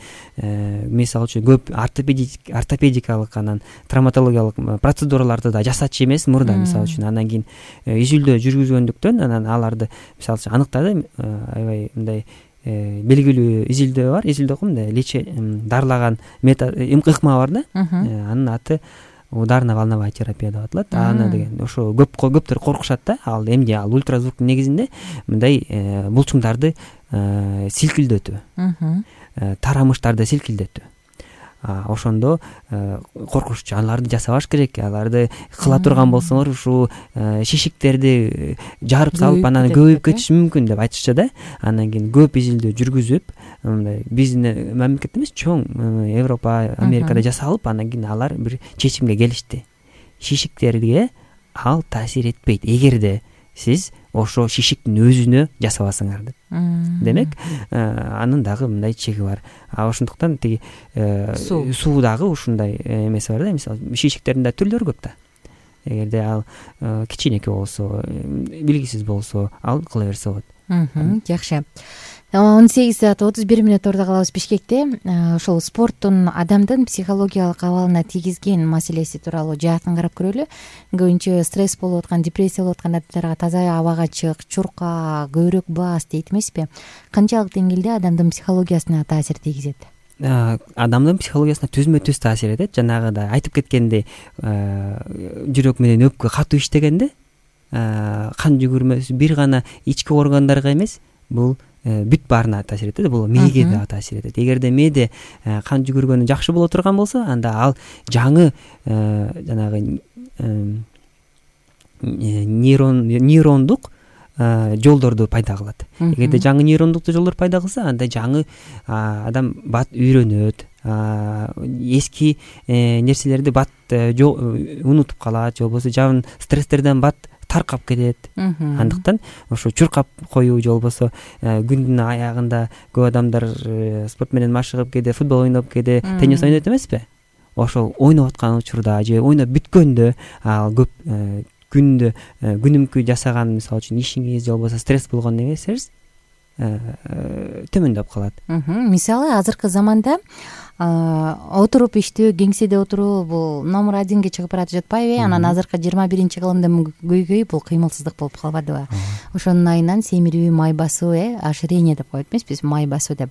мисалы үчүн көп ортопедик ортопедикалык анан травматологиялык процедураларды да жасачу эмес мурда мисалы үчүн. Анан кийин изилдөө жүргүзгөндүктөн анан аларды мисалы үчүн аныктады. Аябай мындай белгилүү изилдөө бар. Изилдөө мындай лече дарылаган метод ыкма бар да. Анын аты ударно-волновая терапия деп аталат. Аны деген ошо көп көптөр коркушат да. Ал эмне? Ал ультразвуктун негизинде мындай булчуңдарды силкилдетүү, тарамыштарды силкилдетүү. Ошондо коркушчу. Аларды жасабаш керек. Аларды кыла турган болсоңор ушу шишиктерди жарып салып анан көбөйүп кетиши мүмкүн деп айтышчу да. Анан кийин көп изилдөө жүргүзүп, мындай биздин мамлекетте эмес, чоң Европа, Америкада жасалып, анан кийин алар бир чечимге келишти. Шишиктерге ал таасир этпейт, эгерде сиз ошо шишиктин өзүнө жасабасаңар деп. Демек, анын дагы мындай чеги бар. А ошондуктан тиги суу дагы ушундай эмеси бар да. Мисалы, шишиктердин да түрлөрү көп да. Эгерде ал кичинекей болсо, белгисиз болсо, ал кыла берсе болот. Жакшы. он сегиз саат отуз бир мүнөт ордо калабыз Бишкекте. Ошол спорттун адамдын психологиялык абалына тийгизген маселеси тууралуу жаатын карап көрөлү. Көбүнчө стресс болуп аткан, депрессия болуп аткан адамдарга таза абага чык, чурка, көбүрөөк бас дейт эмеспи? Канчалык деңгээлде адамдын психологиясына таасир тийгизет? Адамдын психологиясына түзмө-түз таасир этет. Жанагыдай айтып кеткендей, жүрөк менен өпкө катуу иштегенде кан жүгүрмөсү бир гана ички органдарга эмес, бул бүт баарына таасир этет. Бул мээге да таасир этет. Эгерде мээде кан жүгүргөнү жакшы боло турган болсо, анда ал жаңы жанагы нейрон нейрондук жолдорду пайда кылат. Эгерде жаңы нейрондук жолдор пайда кылса, анда жаңы адам бат үйрөнөт, эски нерселерди бат унутуп калат, же болбосо жаман стресстерден бат таркап кетет. Андыктан ошо чуркап коюу, же болбосо күндүн аягында көп адамдар спорт менен машыгып кээде футбол ойноп, кээде теннис ойнойт эмеспи? Ошол ойноп аткан учурда же ойноп бүткөндө ал көп күндө күнүмкү жасаган мисалы үчүн ишиңиз же болбосо стресс болгон нерсеңиз төмөндөп калат. Мисалы азыркы заманда отуруп иштөө, кеңседе отуруу бул номер одинге чыгып баратып жатпайбы? Анан азыркы жыйырма биринчи кылымда көйгөй бул кыймылсыздык болуп калбадыбы? Ошонун айынан семирүү, май басуу, оширение деп коет эмеспиз, май басуу деп.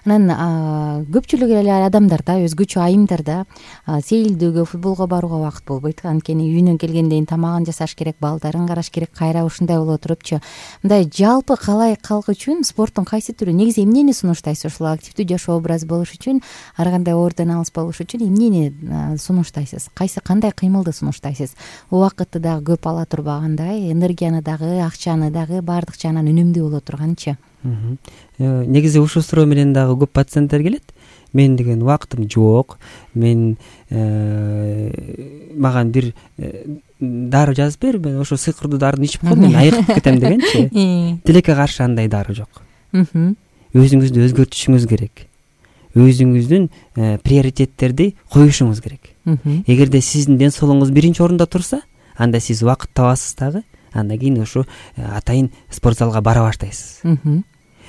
Анан көпчүлүк эле адамдарда өзгөчө айымдарда сейилдөөгө, футболго барууга убакыт болбойт. Анткени үйүнөн келгенден кийин тамагын жасаш керек, балдарын караш керек, кайра ушундай боло турупчу. Мындай жалпы калай калк үчүн спорттун кайсы түрү, негизи эмнени сунуштайсыз? Ушул активдүү жашоо образы болуш үчүн, ар кандай оорудан алыс болуш үчүн эмнени сунуштайсыз? Кайсы кандай кыймылды сунуштайсыз? Убакытты дагы көп ала турбагандай, энергияны дагы, акчаны дагы баардык жагынан үнөмдүү боло турганчы? Негизи ушул суроо менен дагы көп пациенттер келет. Мен деген убактым жок, мен маган бир дары жазып бер, мен ошо сыйкырдуу дарыны ичип коем, мен айыгып кетем дегенчи. Тилекке каршы андай дары жок. Өзүңүздү өзгөртүшүңүз керек. Өзүңүздүн приоритеттерди коюшуңуз керек. Эгерде сиздин ден соолугуңуз биринчи орунда турса, анда сиз убакыт табасыз дагы. Андан кийин ошо атайын спорт залга бара баштайсыз.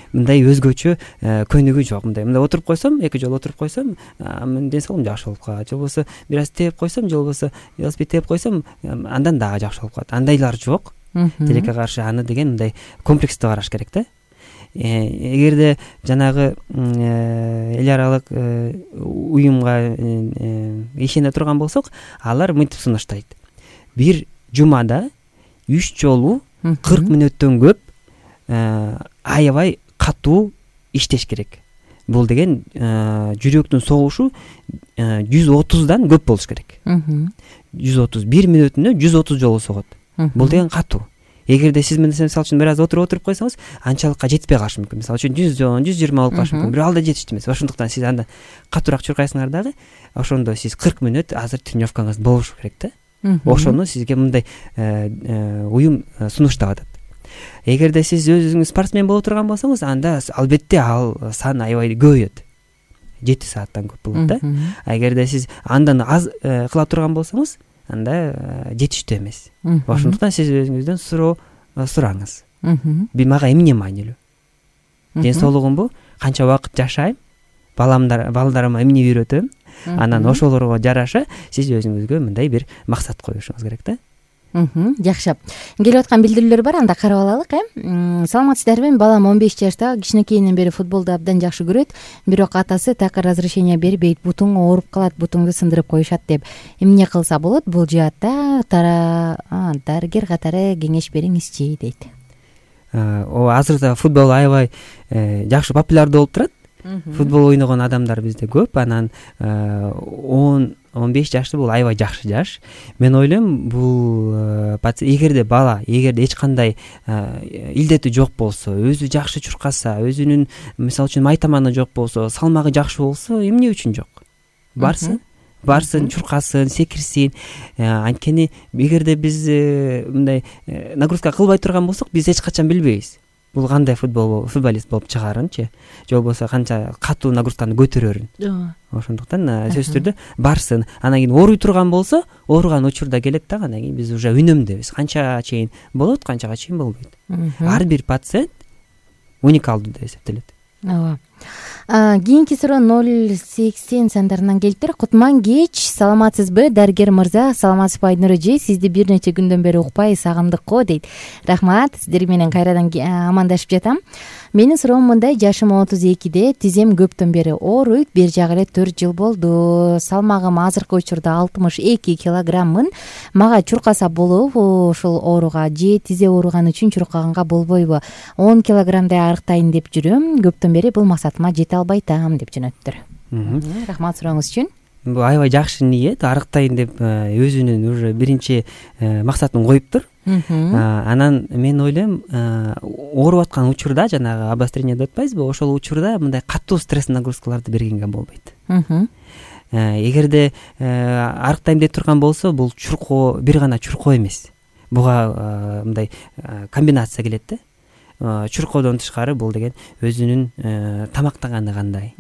Мындай өзгөчө көнүгүү жок. Мындай мындай отуруп койсом, эки жолу отуруп койсом, менин ден соолугум жакшы болуп калат. Же болбосо бир аз тээп койсом, же болбосо велосипед тээп койсом, андан дагы жакшы болуп калат. Андайлар жок. Тилекке каршы аны деген мындай комплекстүү караш керек да. Эгерде жанагы эл аралык уюмга ишене турган болсок, алар мынтип сунуштайт. Бир жумада үч жолу кырк мүнөттөн көп аябай катуу иштеш керек. Бул деген жүрөктүн согушу жүз отуздан көп болуш керек. жүз отуз бир мүнөтүнө жүз отуз жолу согот. Бул деген катуу. эгерде сиз мисалы үчүн бир аз отуруп отуруп койсоңуз анчалыкка жетпей калышы мүмкүн. Мисалы үчүн жүз он жүз жыйырма болуп калышы мүмкүн, бирок ал да жетиштүү эмес. Ошондуктан сиз андан катуураак чуркайсыңар дагы, ошондо сиз кырк мүнөт азыр тренировкаңыз болушу керек да. Ошону сизге мындай уюм сунуштап атат. Эгерде сиз өзүңүз спортсмен боло турган болсоңуз, анда албетте ал сан аябай көбөйөт. жети сааттан көп болот да. А эгерде сиз андан аз кыла турган болсоңуз, анда жетиштүү эмес. Ошондуктан сиз өзүңүздөн суроо сураңыз. Мага эмне маанилүү? Ден соолугумбу? Канча убакыт жашайм? Баламдар, балдарыма эмне үйрөтөм? Анан ошолорго жараша сиз өзүңүзгө мындай бир максат коюшуңуз керек да. Жакшы. Келип аткан билдирүүлөр бар, анда карап алалык, э. Саламатсыздарбы? Балам он беш жашта, кичинекейинен бери футболду абдан жакшы көрөт, бирок атасы так разрешение бербейт, бутуң ооруп калат, бутуңду сындырып коюшат деп. Эмне кылса болот? Бул жаатта дарыгер катары кеңеш бериңизчи дейт. О, азырда футбол аябай жакшы популярдуу болуп турат. Футбол ойногон адамдар бизде көп. Анан он он беш жашты бул аябай жакшы жаш. Мен ойлойм, бул эгерде бала, эгерде эч кандай илдети жок болсо, өзү жакшы чуркаса, өзүнүн мисалы үчүн майтаманы жок болсо, салмагы жакшы болсо, эмне үчүн жок? Барсын, барсын, чуркасын, секирсин. Анткени эгерде биз мындай нагрузка кылбай турган болсок, биз эч качан билбейбиз. Бул кандай футбол футболист болуп чыгаарынчы, же болбосо канча катуу нагрузканы көтөрөрүн. Ошондуктан сөзсүз түрдө барсын. Анан кийин ооруй турган болсо, ооруган учурда келет да, анан кийин биз уже үнөмдөбүз. Канча чейин болот, канчага чейин болбойт. Ар бир пациент уникалдуу деп эсептелет. Ооба. Кийинки суроо ноль сексен сандарынан келиптир. Кутман кеч, саламатсызбы дарыгер мырза? Саламатсызбы Айнур эже? Сизди бир нече күндөн бери укпай сагындык го дейт. Рахмат, сиздер менен кайрадан амандашып жатам. Менин суроом мындай: жашым отуз экиде, тизем көптөн бери ооруйт, бир жагы эле төрт жыл болду. Салмагым азыркы учурда алтымыш эки килограммын. Мага чуркаса болобу ушул ооруга, же тизе ооруган үчүн чуркаганга болбойбу? он килограммдай арыктайын деп жүрөм. Көптөн бери бул максатыма жете албай атам деп жөнөттүр. Рахмат сурооңуз үчүн. Бул аябай жакшы ниет, арыктайын деп өзүнүн уже биринчи максатын коюптур. Анан мен ойлойм, ооруп аткан учурда, жанагы обострение деп атпайбызбы, ошол учурда мындай катуу стресс нагрузкаларды бергенге болбойт. Эгерде арыктайм деп турган болсо, бул чуркоо бир гана чуркоо эмес. Буга мындай комбинация келет да. Чуркоодон тышкары бул деген өзүнүн тамактаганы кандай.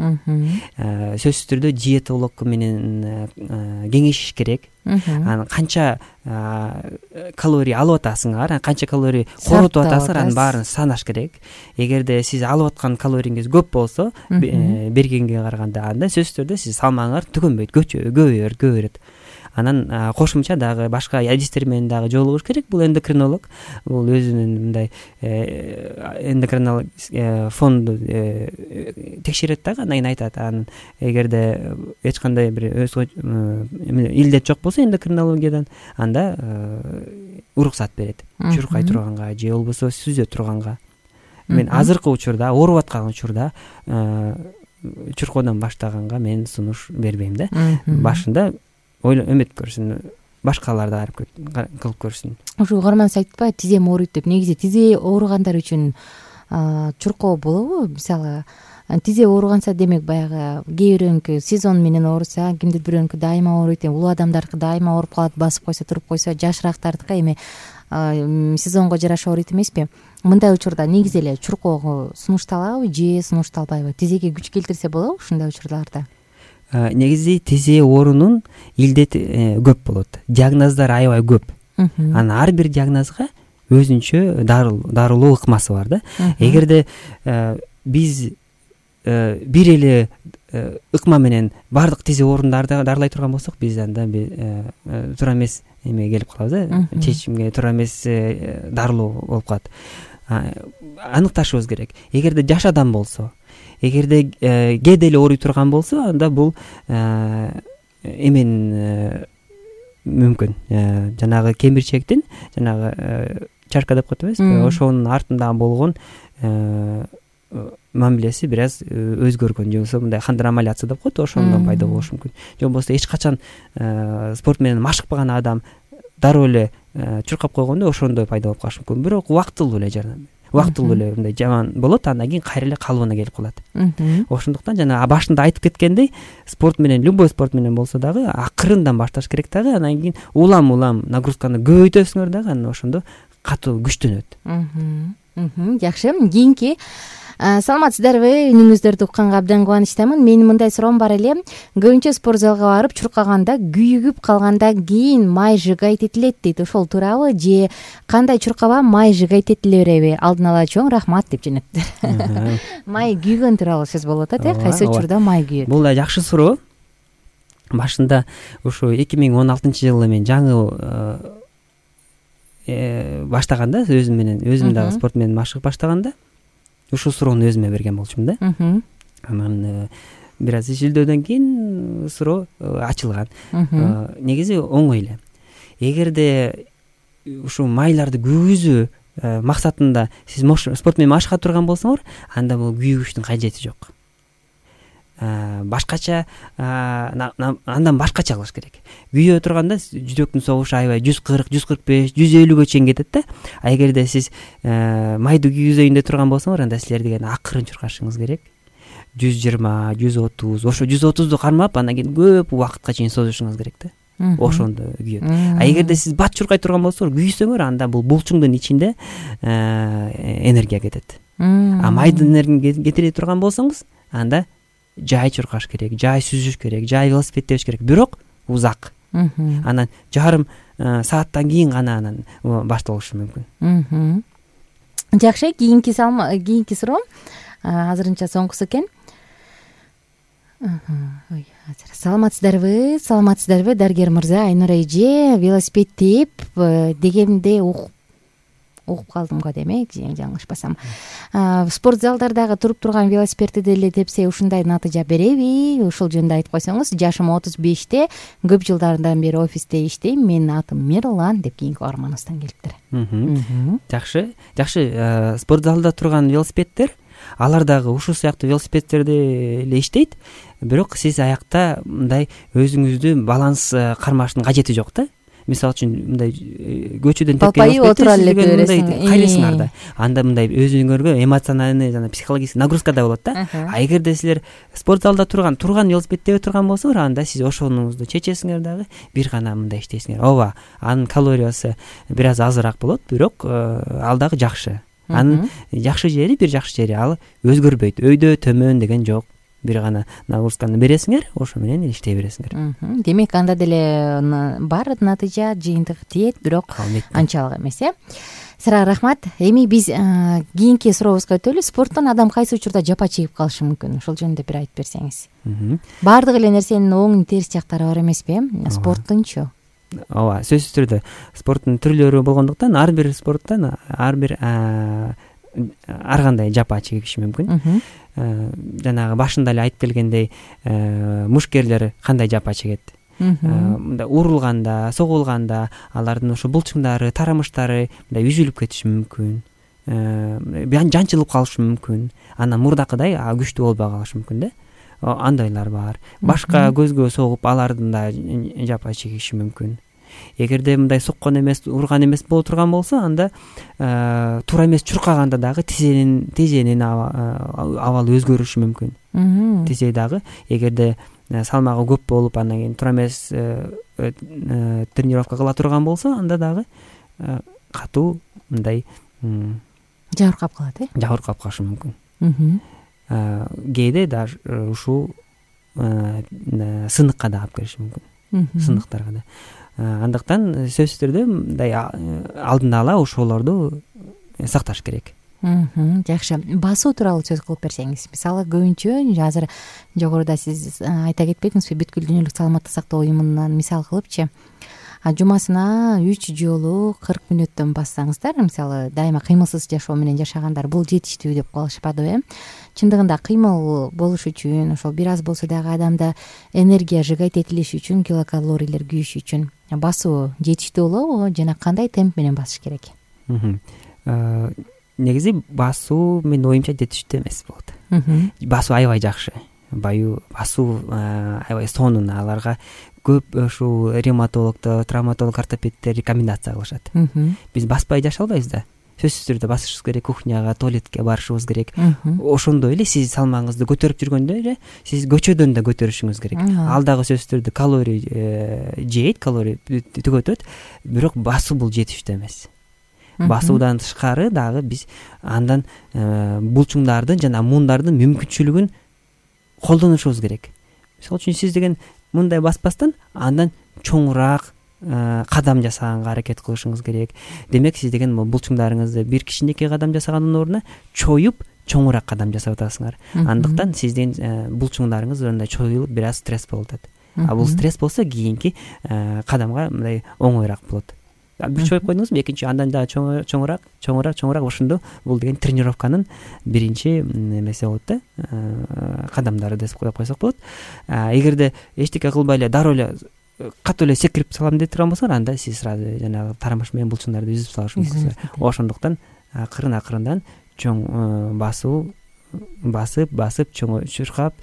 Сөзсүз түрдө диетолог менен кеңешиш керек. Анан канча калорий алып атасыңар, канча калорий коротуп атасыңар, анын баарын санаш керек. Эгерде сиз алып аткан калорийиңиз көп болсо, бергенге караганда, анда сөзсүз түрдө сиз салмагыңар түгөнбөйт, көбөйөр, көбөйөт. Анан кошумча дагы башка адистер менен дагы жолугуш керек. Бул эндокринолог, бул өзүнүн мындай эндокринолог фонду текшерет дагы, анан айтат. Анан эгерде эч кандай бир илдет жок болсо эндокринологиядан, анда уруксат берет. Чуркай турганга же болбосо сүзө турганга. Мен азыркы учурда, ооруп аткан учурда чуркоодон баштаганга мен сунуш бербейм да. Башында өмөт көрсүн, башкалар да кылып көрсүн. Ушу угарман айтпайбы, тизем ооруйт деп. Негизи тизе ооругандар үчүн чуркоо болобу? Мисалы, тизе ооруганса, демек баягы кээ бирөөнүкү сезон менен ооруса, кимдир бирөөнүкү дайыма ооруйт, улуу адамдардыкы дайыма ооруп калат, басып койсо, туруп койсо, жашыраактардыкы эми сезонго жараша ооруйт эмеспи? Мындай учурда негизи эле чуркоого сунушталабы же сунушталбайбы? Тизеге күч келтирсе болобу ушундай учурларда? Негизи тизе оорунун илдети көп болот. Диагноздар аябай көп. Анан ар бир диагнозго өзүнчө дарылуу ыкмасы бар да. Эгерде биз бир эле ыкма менен бардык тизе оорунарды дарылай турган болсок, биз анда туура эмес эме келип калабыз да, чечимге туура эмес дарылоо болуп калат. Аныкташыбыз керек. Эгерде жаш адам болсо, эгерде кээде эле ооруй турган болсо, анда бул эмен мүмкүн. Жанагы кемирчектин, жанагы чарка деп коет эмеспи, ошонун артында болгон мамилеси бир аз өзгөргөн, же болбосо мындай хондромаляция деп коет, ошондон пайда болушу мүмкүн. Же болбосо эч качан спорт менен машыкпаган адам дароо эле чуркап койгондо ошондой пайда болуп калышы мүмкүн. Бирок убактылуу эле жардам убактылуу эле мындай жаман болот, андан кийин кайра эле калыбына келип калат. Ошондуктан жана башында айтып кеткендей, спорт менен, любой спорт менен болсо дагы акырындан башташ керек дагы, андан кийин улам улам нагрузканы көбөйтөсүңөр дагы, анан ошондо катуу күчтөнөт. Жакшы. Кийинки саламатсыздарбы? Үнүңүздөрдү укканга абдан кубанычтамын. Менин мындай суроом бар эле. Көбүнчө спорт залга барып чуркаганда күйүгүп калгандан кийин май жыгайт этилет дейт. Ошол туурабы же кандай чуркаба май жыгайт этиле береби? Алдын ала чоң рахмат деп жөнөттүр. Май күйгөн тууралуу сөз болуп атат, э? Кайсы учурда май күйөт? Бул да жакшы суроо. Башында ушу эки миң он алтынчы жылы мен жаңы баштаганда, өзүм менен өзүм дагы спорт менен машыгып баштаганда ушул суроону өзүмө берген болчумун да. Анан бир аз изилдөөдөн кийин суроо ачылган. Негизи оңой эле. Эгерде ушу майларды күйгүзүү максатында сиз спорт менен машыга турган болсоңор, анда бул күйгүчтүн кажети жок. Башкача андан башкача кылыш керек. Күйө турганда жүрөктүн согушу аябай жүз кырк, жүз кырк беш, жүз элүүгө чейин кетет да. А эгерде сиз майды күйгүзөйүн деп турган болсоңор, анда силер деген акырын чуркашыңыз керек. жүз жыйырма, жүз отуз, ошо жүз отузду кармап, андан кийин көп убакытка чейин созушуңуз керек да. Ошондо күйөт. А эгерде сиз бат чуркай турган болсоңор, күйсөңөр, анда бул булчуңдун ичинде энергия кетет. А майдын энергиясын кетире турган болсоңуз, анда жай чуркаш керек, жай сүзүш керек, жай велосипед тебиш керек, бирок узак. Анан жарым сааттан кийин гана анан башталышы мүмкүн. Жакшы, кийинки кийинки суроом азырынча соңгусу экен. Ой, саламатсыздарбы? Саламатсыздарбы, дарыгер мырза, Айнура эже, велосипед теп дегенде угуп угуп калдым го демек, жаңылышпасам. Спорт залдардагы туруп турган велосипедти деле тепсе ушундай натыйжа береби? Ушул жөнүндө айтып койсоңуз. Жашым отуз беште, көп жылдардан бери офисте иштейм. Менин атым Мирлан деп кийинки Арманыстан келиптир. Жакшы, жакшы. Спорт залда турган велосипедтер, алар дагы ушул сыяктуу велосипедтерде эле иштейт. Бирок сиз аякта мындай өзүңүздү баланс кармаштын кажети жок да. Мисалы үчүн мындай көчөдөн тепкен велосипедти кайрайсыңар да. Анда мындай өзүңөргө эмоциональный жана психологический нагрузка да болот да. А эгерде силер спорт залда турган турган велосипедте турган болсоңор, анда сиз ошонуңузду чечесиңер дагы, бир гана мындай иштейсиңер. Ооба, анын калориясы бир аз азыраак болот, бирок ал дагы жакшы. Анын жакшы жери, бир жакшы жери ал өзгөрбөйт. Өйдө төмөн деген жок. Бир гана нагрузканы бересиңер, ошо менен иштей бересиңер. Демек анда деле бар натыйжа, жыйынтык тиет, бирок анчалык эмес, э? Сага рахмат. Эми биз кийинки сурообузга өтөлү. Спорттон адам кайсы учурда жапа чегип калышы мүмкүн? Ошол жөнүндө бир айтып берсеңиз. Баардык эле нерсенин оң терс жактары бар эмеспи? Спорттунчу? Ооба, сөзсүз түрдө спорттун түрлөрү болгондуктан ар бир спорттон ар бир ар кандай жапа чегиши мүмкүн. Жанагы башында эле айтып келгендей, мушкерлер кандай жапа чегет? Мындай урулганда, согулганда алардын ошо булчуңдары, тарамыштары мындай үзүлүп кетиши мүмкүн. Жанчылып калышы мүмкүн. Анан мурдакыдай күчтүү болбой калышы мүмкүн да. Андайлар бар. Башка көзгө согуп, алардын да жапа чегиши мүмкүн. Эгерде мындай соккон эмес, урган эмес боло турган болсо, анда туура эмес чуркаганда дагы тизенин тизенин абалы өзгөрүшү мүмкүн. Тизе дагы эгерде салмагы көп болуп, андан кийин туура эмес тренировка кыла турган болсо, анда дагы катуу мындай жабыркап калат, э? Жабыркап калышы мүмкүн. Кээде даже ушул сыныкка да алып келиши мүмкүн. Сыныктарга да. Андыктан сөзсүз түрдө мындай алдын ала ошолорду сакташ керек. Жакшы. Басуу тууралуу сөз кылып берсеңиз. Мисалы, көбүнчө азыр жогоруда сиз айта кетпедиңизби, бүткүл дүйнөлүк саламаттык сактоо уюмунан мисал кылыпчы, жумасына үч жолу кырк мүнөттөн бассаңыздар, мисалы, дайыма кыймылсыз жашоо менен жашагандар бул жетиштүү деп калышпадыбы, э? Чындыгында кыймыл болуш үчүн, ошол бир аз болсо дагы адамда энергия жыгайт этилиш үчүн, килокалорийлер күйүш үчүн басуу жетиштүү болобу жана кандай темп менен басыш керек? Негизи басуу менин оюмча жетиштүү эмес болот. Басуу аябай жакшы. Баю басуу аябай сонун, аларга көп ушул ревматологдор, травматолог, ортопедтер рекомендация кылышат. Биз баспай жашай албайбыз да. Сөзсүз түрдө басышыбыз керек, кухняга, туалетке барышыбыз керек. Ошондой эле сиз салмагыңызды көтөрүп жүргөндө эле сиз көчөдөн да көтөрүшүңүз керек. Ал дагы сөзсүз түрдө калорий жейт, калорий түгөтөт, бирок басуу бул жетиштүү эмес. Басуудан тышкары дагы биз андан булчуңдардын жана муундардын мүмкүнчүлүгүн колдонушубуз керек. Мисалы үчүн сиз деген мындай баспастан андан чоңураак кадам жасаганга аракет кылышыңыз керек. Демек сиз деген булчуңдарыңызды бир кичинекей кадам жасагандын ордуна чоюп чоңураак кадам жасап атасыңар. Андыктан сиздин булчуңдарыңыз мындай чоюлуп бир аз стресс болуп атат. А бул стресс болсо кийинки кадамга мындай оңоюраак болот. Бир чоюп койдуңузбу, экинчи андан дагы чоңураак, чоңураак, чоңураак ошондо бул деген тренировканын биринчи эмеси болот да, кадамдары деп коюп койсок болот. Эгерде эчтеке кылбай эле дароо эле катуу эле секирип салам деп турган болсоңор, анда сиз сразу жанагы тарамыш менен булчуңдарды үзүп салышыңыз мүмкүн. Ошондуктан акырын акырындан чоң басуу басып басып чуркап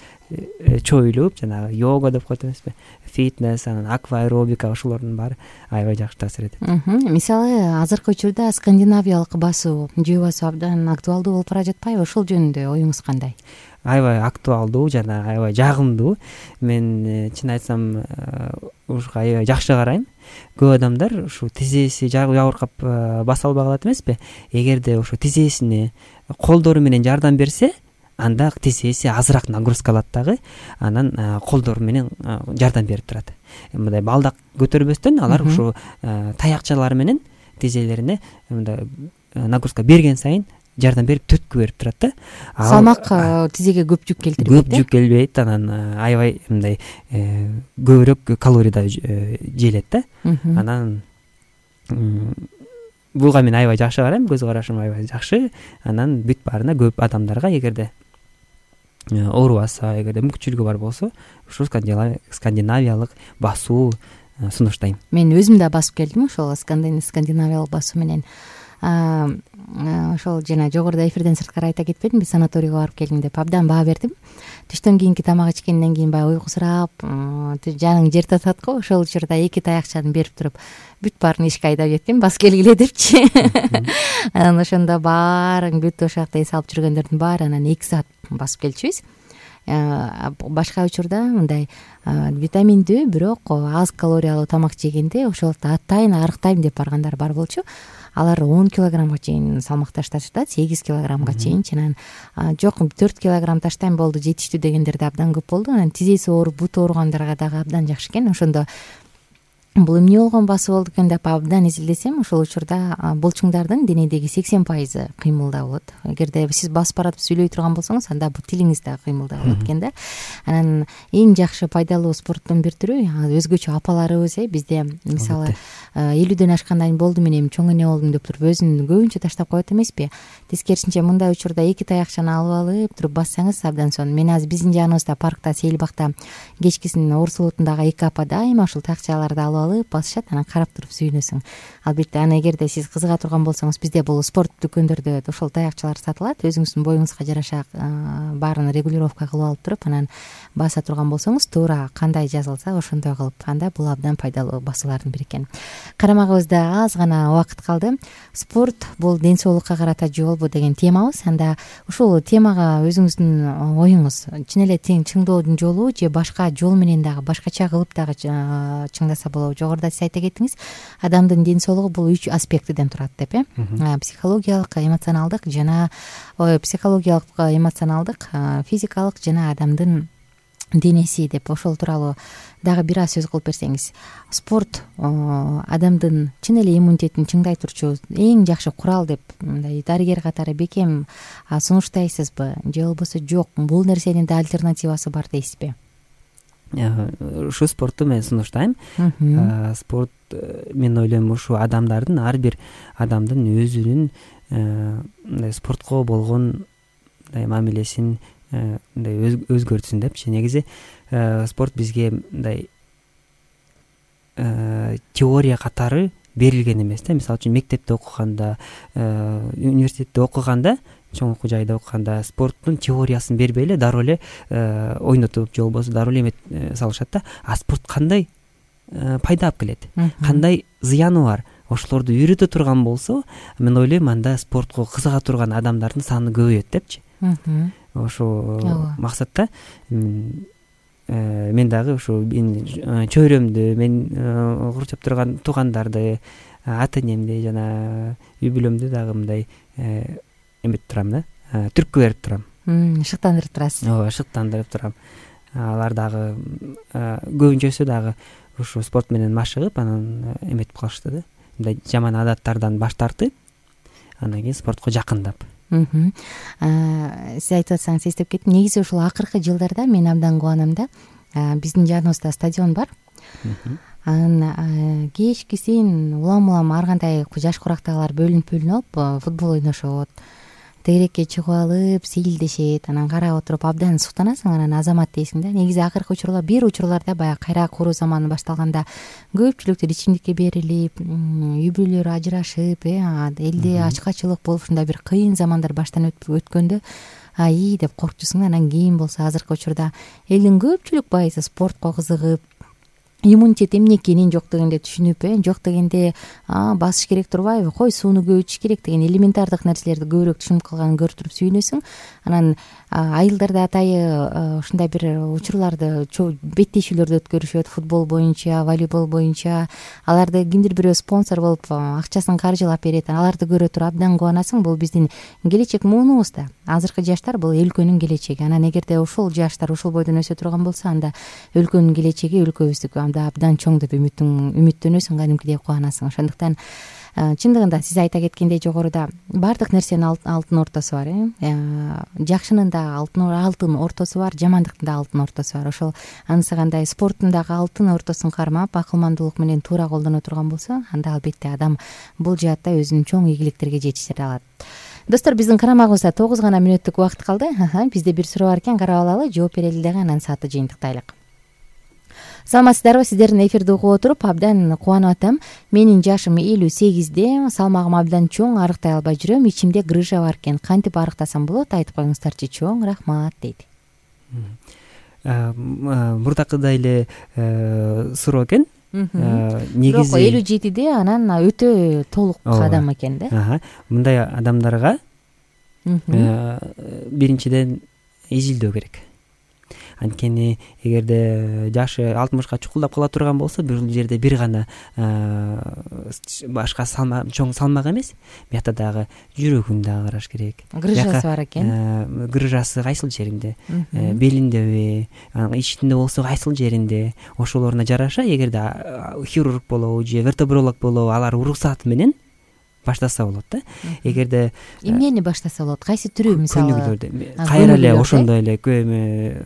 чоюлуп жанагы йога деп коет эмеспи, фитнес, анан акваэробика, ошолордун баары аябай жакшы таасир этет. Мисалы азыркы учурда скандинавиялык басуу, жөө басуу абдан актуалдуу болуп бара жатпайбы? Ошол жөнүндө оюңуз кандай? Аябай актуалдуу жана аябай жагымдуу. Мен чын айтсам ушуга аябай жакшы карайм. Көп адамдар ушу тизеси жабыркап баса албай калат эмеспи? Эгерде ошо тизесине колдору менен жардам берсе, анда тизеси азыраак нагрузка алат дагы, анан колдору менен жардам берип турат. Мындай балдак көтөрбөстөн алар ушу таякчалары менен тизелерине мындай нагрузка берген сайын жардам берип төткү берип турат да. Салмак тизеге көп жүк келтирбейт. Көп жүк келбейт, анан аябай мындай көбүрөөк калорий да жейлет да. Анан буга мен аябай жакшы карайм, көз карашым аябай жакшы. Анан бүт баарына көп адамдарга эгерде оорубаса, эгерде мүмкүнчүлүгү бар болсо, ушу скандинавиялык басуу сунуштайм. Мен өзүм да басып келдим ошол скандинавиялык басуу менен. Ошол жана жогоруда эфирден сырткары айта кетпедимби, санаторийге барып келдим деп абдан баа бердим. Түштөн кийинки тамак ичкенден кийин баягы уйкусурап, жаның жер татат го, ошол учурда эки таякчаны берип туруп бүт баарын эшикке айдап жеттим, бас келгиле депчи. Анан ошондо баарын бүт ошол жакта эс алып жүргөндөрдүн баары анан эки саат басып келчүбүз. Башка учурда мындай витаминдүү, бирок аз калориялуу тамак жегенде ошол атайын арыктайм деп баргандар бар болчу. Алар он килограммга чейин салмак ташташты да, сегиз килограммга чейин. Анан жок, төрт килограмм таштайм болду, жетиштүү дегендер да абдан көп болду. Анан тизеси ооруп, буту ооругандарга дагы абдан жакшы экен. Ошондо бул эмне болгон басуу болду экен деп абдан изилдесем, ошол учурда булчуңдардын денедеги сексен пайызы кыймылда болот. Эгерде сиз басып баратып сүйлөй турган болсоңуз, анда бул тилиңиз дагы кыймылда болот экен да. Анан эң жакшы пайдалуу спорттун бир түрү, өзгөчө апаларыбыз э бизде мисалы элүүдөн ашкандан кийин болду, мен эми чоң эне болдум деп туруп өзүн көбүнчө таштап коет эмеспи? Тескерисинче мындай учурда эки таякчаны алып алып туруп бассаңыз абдан сонун. Мен азыр биздин жаныбызда паркта, Сейилбакта кечкисин орсулутундагы эки апа дайыма ушул таякчаларды алып алып басышат, анан карап туруп сүйүнөсүң. Албетте аны эгерде сиз кызыга турган болсоңуз, бизде бул спорт дүкөндөрдө ошол таякчалар сатылат. Өзүңүздүн боюңузга жараша баарын регулировка кылып алып туруп, анан баса турган болсоңуз, туура кандай жазылса ошондой кылып, анда бул абдан пайдалуу басуулардын бири экен. Карамагыбызда аз гана убакыт калды. Спорт бул ден соолукка карата жолбу деген темабыз. Анда ушул темага өзүңүздүн оюңуз, чын эле тең чыңдоодун жолу же башка жол менен дагы башкача кылып дагы чыңдаса болобу? Жогоруда сиз айта кеттиңиз, адамдын ден соолугу бул үч аспектиден турат деп, э? Психологиялык, эмоционалдык жана психологиялык, эмоционалдык, физикалык жана адамдын денеси деп ошол тууралуу дагы бир аз сөз кылып берсеңиз. Спорт адамдын чын эле иммунитетин чыңдай турчу эң жакшы курал деп мындай дарыгер катары бекем сунуштайсызбы же болбосо жок, бул нерсенин да альтернативасы бар дейсизби? Ушу спортту мен сунуштайм. Спорт, мен ойлойм, ушу адамдардын, ар бир адамдын өзүнүн мындай спортко болгон мындай мамилесин мындай өзгөртсүн депчи. Негизи спорт бизге мындай теория катары берилген эмес да. Мисалы үчүн мектепте окуганда, университетте окуганда, чоң окуу жайда окуганда спорттун теориясын бербей эле дароо эле ойнотуп же болбосо дароо эле салышат да. А спорт кандай пайда алып келет, кандай зыяны бар, ошолорду үйрөтө турган болсо, мен ойлойм анда спортко кызыга турган адамдардын саны көбөйөт депчи. Ошол максатта мен дагы ушу чөйрөмдү, мен курчап турган туугандарды, ата энемди жана үй бүлөмдү дагы мындай эметип турам да, түрткү берип турам. Шыктандырып турасыз. Ооба, шыктандырып турам. Алар дагы көбүнчөсү дагы ушу спорт менен машыгып, анан эметип калышты да. Мындай жаман адаттардан баш тартып, андан кийин спортко жакындап. Сиз айтып атсаңыз эстеп кеттим. Негизи ушул акыркы жылдарда мен абдан кубанам да. Биздин жаныбызда стадион бар. Анан кечкисин улам улам ар кандай жаш курактагылар бөлүнүп бөлүнүп алып футбол ойношот. Тегерекке чыгып алып, силдешет, анан карап отуруп абдан суктанасың, анан азамат дейсиң да. Негизи акыркы учурлар, бир учурларда баягы кайра куруу заманы башталганда көпчүлүктөр ичимдикке берилип, үй бүлөлөр ажырашып, элде ачкачылык болуп, ушундай бир кыйын замандар баштан өткөндө ай деп коркчусуң. Анан кийин болсо азыркы учурда элдин көпчүлүк байысы спортко кызыгып, иммунитет эмне экенин жок дегенде түшүнүп, э жок дегенде басыш керек турбайбы, кой сууну көп ичиш керек деген элементардык нерселерди көбүрөөк түшүнүп калганын көрүп туруп сүйүнөсүң. Анан айылдарда атайы ушундай бир учурларды, беттешүүлөрдү өткөрүшөт футбол боюнча, волейбол боюнча. Аларды кимдир бирөө спонсор болуп акчасын каржылап берет. Аларды көрө туруп абдан кубанасың. Бул биздин келечек муунубуз да. Азыркы жаштар бул өлкөнүн келечеги. Анан эгерде ушул жаштар ушул бойдон өсө турган болсо, анда өлкөнүн келечеги өлкөбүздүкү абдан чоң деп үмүттөнөсүң, кадимкидей кубанасың. Ошондуктан чындыгында сиз айта кеткендей жогоруда баардык нерсенин алтын ортосу бар, э жакшынын да алтын ортосу бар, жамандыктын да алтын ортосу бар. Ошол анысы кандай спорттун дагы алтын ортосун кармап, акылмандуулук менен туура колдоно турган болсо, анда албетте адам бул жаатта өзүнүн чоң ийгиликтерге жетише алат. Достор, биздин карамагыбызда тогуз гана мүнөттүк убакыт калды. Бизде бир суроо бар экен, карап алалы, жооп берели дагы, анан саатты жыйынтыктайлык. Саламатсыздарбы? Сиздердин эфирди угуп отуруп абдан кубанып атам. Менин жашым элүү сегизде, салмагым абдан чоң, арыктай албай жүрөм, ичимде грыжа бар экен. Кантип арыктасам болот? Айтып коюңуздарчы. Чоң рахмат дейт. Мурдакыдай эле суроо экен. Негизи элүү жетиде анан өтө толук адам экен да. Мындай адамдарга биринчиден изилдөө керек. Анткени эгерде жашы алтымышка чукулдап кала турган болсо, бул жерде бир гана башка салмак, чоң салмак эмес, биякта дагы жүрөгүн дагы караш керек. Грыжасы бар экен. Грыжасы кайсыл жеринде? Белиндеби, анан ичинде болсо кайсыл жеринде? Ошолоруна жараша, эгерде хирург болобу же вертебролог болобу, алар уруксаты менен баштаса болот да. Эгерде эмнени баштаса болот? Кайсы түрү, мисалы? Көнүгүүлөрдү кайра эле ошондой эле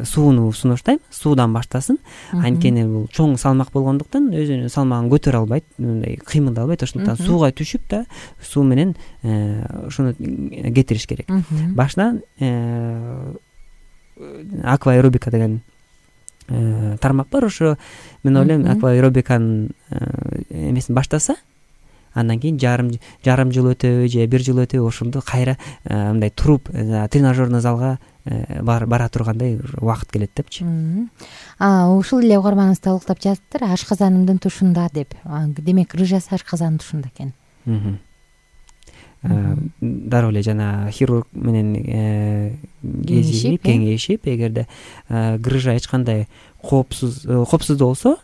сууну сунуштайм, суудан баштасын. Анткени бул чоң салмак болгондуктан өзүнүн салмагын көтөрө албайт, мындай кыймылдай албайт. Ошондуктан сууга түшүп да, суу менен ошону кетириш керек. Башынан акваэробика деген тармак бар. Ошо мен ойлойм, акваэробиканын эмесин баштаса, андан кийин жарым жарым жыл өтөбү же бир жыл өтөбү ошондо кайра мындай туруп тренажерный залга бара тургандай убакыт келет депчи. Ушул эле угарманыбыз талкуулап жатыптыр, ашказанымдын тушунда деп. Демек, грыжасы ашказандын тушунда экен. Дароо эле жана хирург менен кезигип, кеңешип, эгерде грыжа эч кандай коопсуз коопсуз болсо,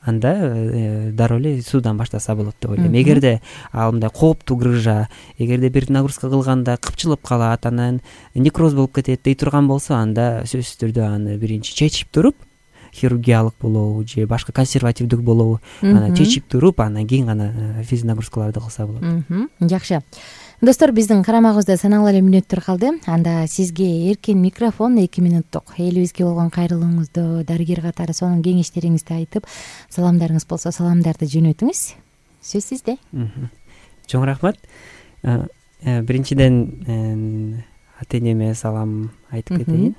анда дароо эле суудан баштаса болот деп ойлойм. Эгерде ал мындай кооптуу грыжа, эгерде бир нагрузка кылганда кыпчылып калат, анан некроз болуп кетет дей турган болсо, анда сөзсүз түрдө аны биринчи чечип туруп, хирургиялык болобу же башка консервативдик болобу, аны чечип туруп, андан кийин гана физ нагрузкаларды кылса болот. Жакшы. Достор, биздин карамагыбызда саналуу эле мүнөттөр калды. Анда сизге эркин микрофон эки мүнөттүк. Элибизге болгон кайрылууңузду, дарыгер катары сонун кеңештериңизди айтып, саламдарыңыз болсо саламдарды жөнөтүңүз. Сөз сизде. Чоң рахмат. Биринчиден ата энеме салам айтып кетейин.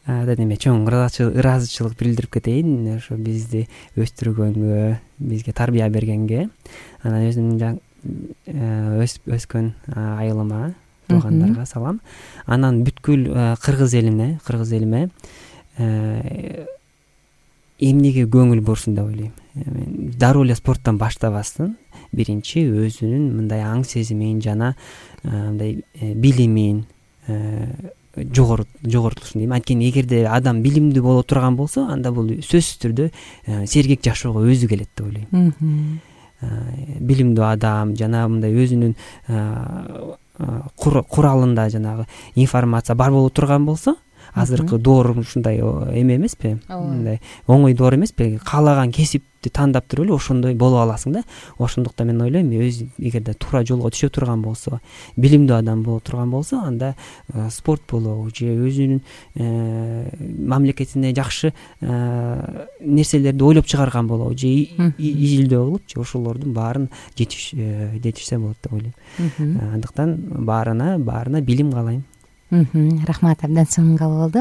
Ата энеме чоң ыраазычылык билдирип кетейин, ошо бизди өстүргөнгө, бизге тарбия бергенге. Анан өзүмдүн өскөн айылыма, туугандарга салам. Анан бүткүл кыргыз элине, кыргыз элиме эмнеге көңүл бурсун деп ойлойм. Дароо эле спорттон баштабастын биринчи өзүнүн мындай аң сезимин жана мындай билимин жогортулушун дейм. Анткени эгерде адам билимдүү боло турган болсо, анда бул сөзсүз түрдө сергек жашоого өзү келет деп ойлойм. Билимдүү адам жана мындай өзүнүн куралында жанагы информация бар боло турган болсо, азыркы доор ушундай эме эмеспи, мындай оңой доор эмеспи, каалаган кесипти тандап туруп эле ошондой боло аласың да. Ошондуктан мен ойлойм, өз эгерде туура жолго түшө турган болсо, билимдүү адам боло турган болсо, анда спорт болобу же өзүнүн мамлекетине жакшы нерселерди ойлоп чыгарган болобу же изилдөө кылып же ошолордун баарын жетишсе болот деп ойлойм. Андыктан баарына баарына билим каалайм. Рахмат, абдан сонун кабыл болду.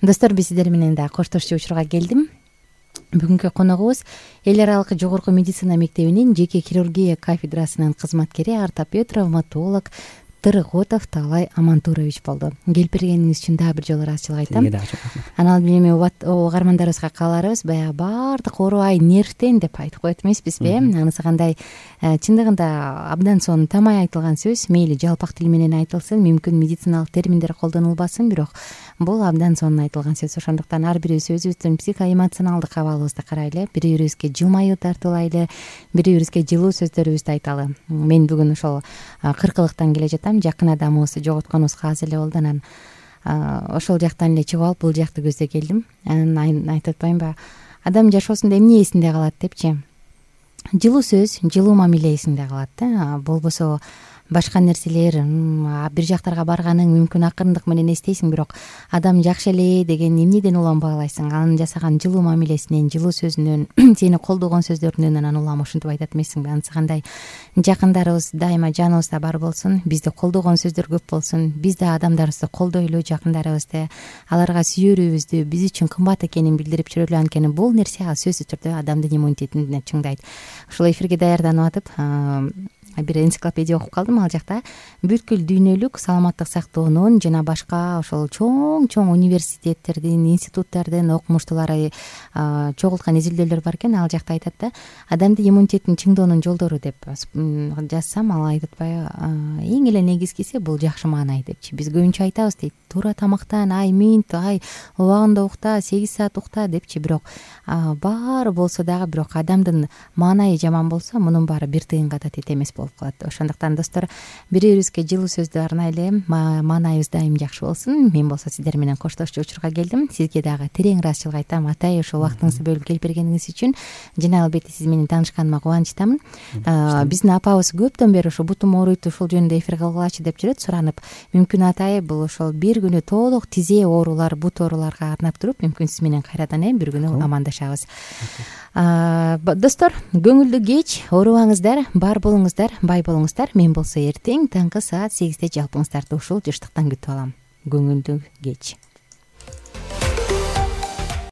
Достор, биз сиздер менен да коштошчу учурга келдим. Бүгүнкү коногубуз эл аралык жогорку медицина мектебинин жеке хирургия кафедрасынын кызматкери, ортопед, травматолог Тырыготов Таалай Амантурович болду. Келип бергениңиз үчүн дагы бир жолу ыраазычылык айтам. Анан билем угармандарыбызга кааларыбыз, баягы баардык оорубай нервтен деп айтып коет эмеспизби? Анысы кандай? Чындыгында абдан сонун тамай айтылган сөз. Мейли жалпак тил менен айтылсын, мүмкүн медициналык терминдер колдонулбасын, бирок бул абдан сонун айтылган сөз. Ошондуктан ар бирибиз өзүбүздүн психоэмоционалдык абалыбызды карайлы, бири бирибизге жылмаюу тартуулайлы, бири бирибизге жылуу сөздөрүбүздү айталы. Мен бүгүн ошол кыркылыктан келе жатам. Жакын адамыбызды жоготконубузга аз эле болду. Анан ошол жактан эле чыгып алып, бул жакты көздөй келдим. Анан айтып атпаймынбы, адам жашоосунда эмне эсинде калат депчи? Жылуу сөз, жылуу мамиле эсинде калат да. Болбосо башка нерселер, бир жактарга барганың мүмкүн акырындык менен эстейсиң, бирок адам жакшы эле деген эмнеден уланбай алайсың? Анын жасаган жылуу мамилесинен, жылуу сөзүнөн, сени колдогон сөздөрүнөн анан улам ушинтип айтат эмессиңби? Анысы кандай? Жакындарыбыз дайыма жаныбызда бар болсун, бизди колдогон сөздөр көп болсун, биз да адамдарыбызды колдойлу, жакындарыбызды, аларга сүйүүбүздү, биз үчүн кымбат экенин билдирип жүрөлү. Анткени бул нерсе сөзсүз түрдө адамдын иммунитетин чыңдайт. Ушул эфирге даярданып атып бир энциклопедия окуп калдым. Ал жакта бүткүл дүйнөлүк саламаттык сактоонун жана башка ошол чоң-чоң университеттердин, институттардын окумуштуулары чогулткан изилдөөлөр бар экен. Ал жакта айтат да, адамдын иммунитетин чыңдоонун жолдору деп жазсам, ал айтат атпайбы, эң эле негизгиси бул жакшы маанай депчи. Биз көбүнчө айтабыз дейт, туура тамактан, ай минут, ай убагында укта, сегиз саат укта депчи. Бирок баары болсо дагы, бирок адамдын маанайы жаман болсо, мунун баары бир тыйынга да тете эмес болуп калат. Ошондуктан достор, бири бирибизге жылуу сөздү арнайлы, маанайыбыз дайым жакшы болсун. Мен болсо сиздер менен коштошчу учурга келдим. Сизге дагы терең ыраазычылык айтам, атай, ошол убактыңызды бөлүп келип бергениңиз үчүн. Жана албетте сиз менен таанышканыма кубанычтамын. Биздин апабыз көптөн бери ошо бутум ооруйт, ушул жөнүндө эфир кылгылачы деп жүрөт, суранып. Мүмкүн атай бул ошол бир күнү толук тизе оорулар, бут ооруларга арнап туруп, мүмкүн сиз менен кайрадан бир күнү амандашабыз. Достор, көңүлдүү кеч, оорубаңыздар, бар болуңуздар, бай болуңуздар. Мен болсо эртең таңкы саат сегизде жалпыңыздарды ушул жыштыктан күтүп алам. Көңүлдүү кеч.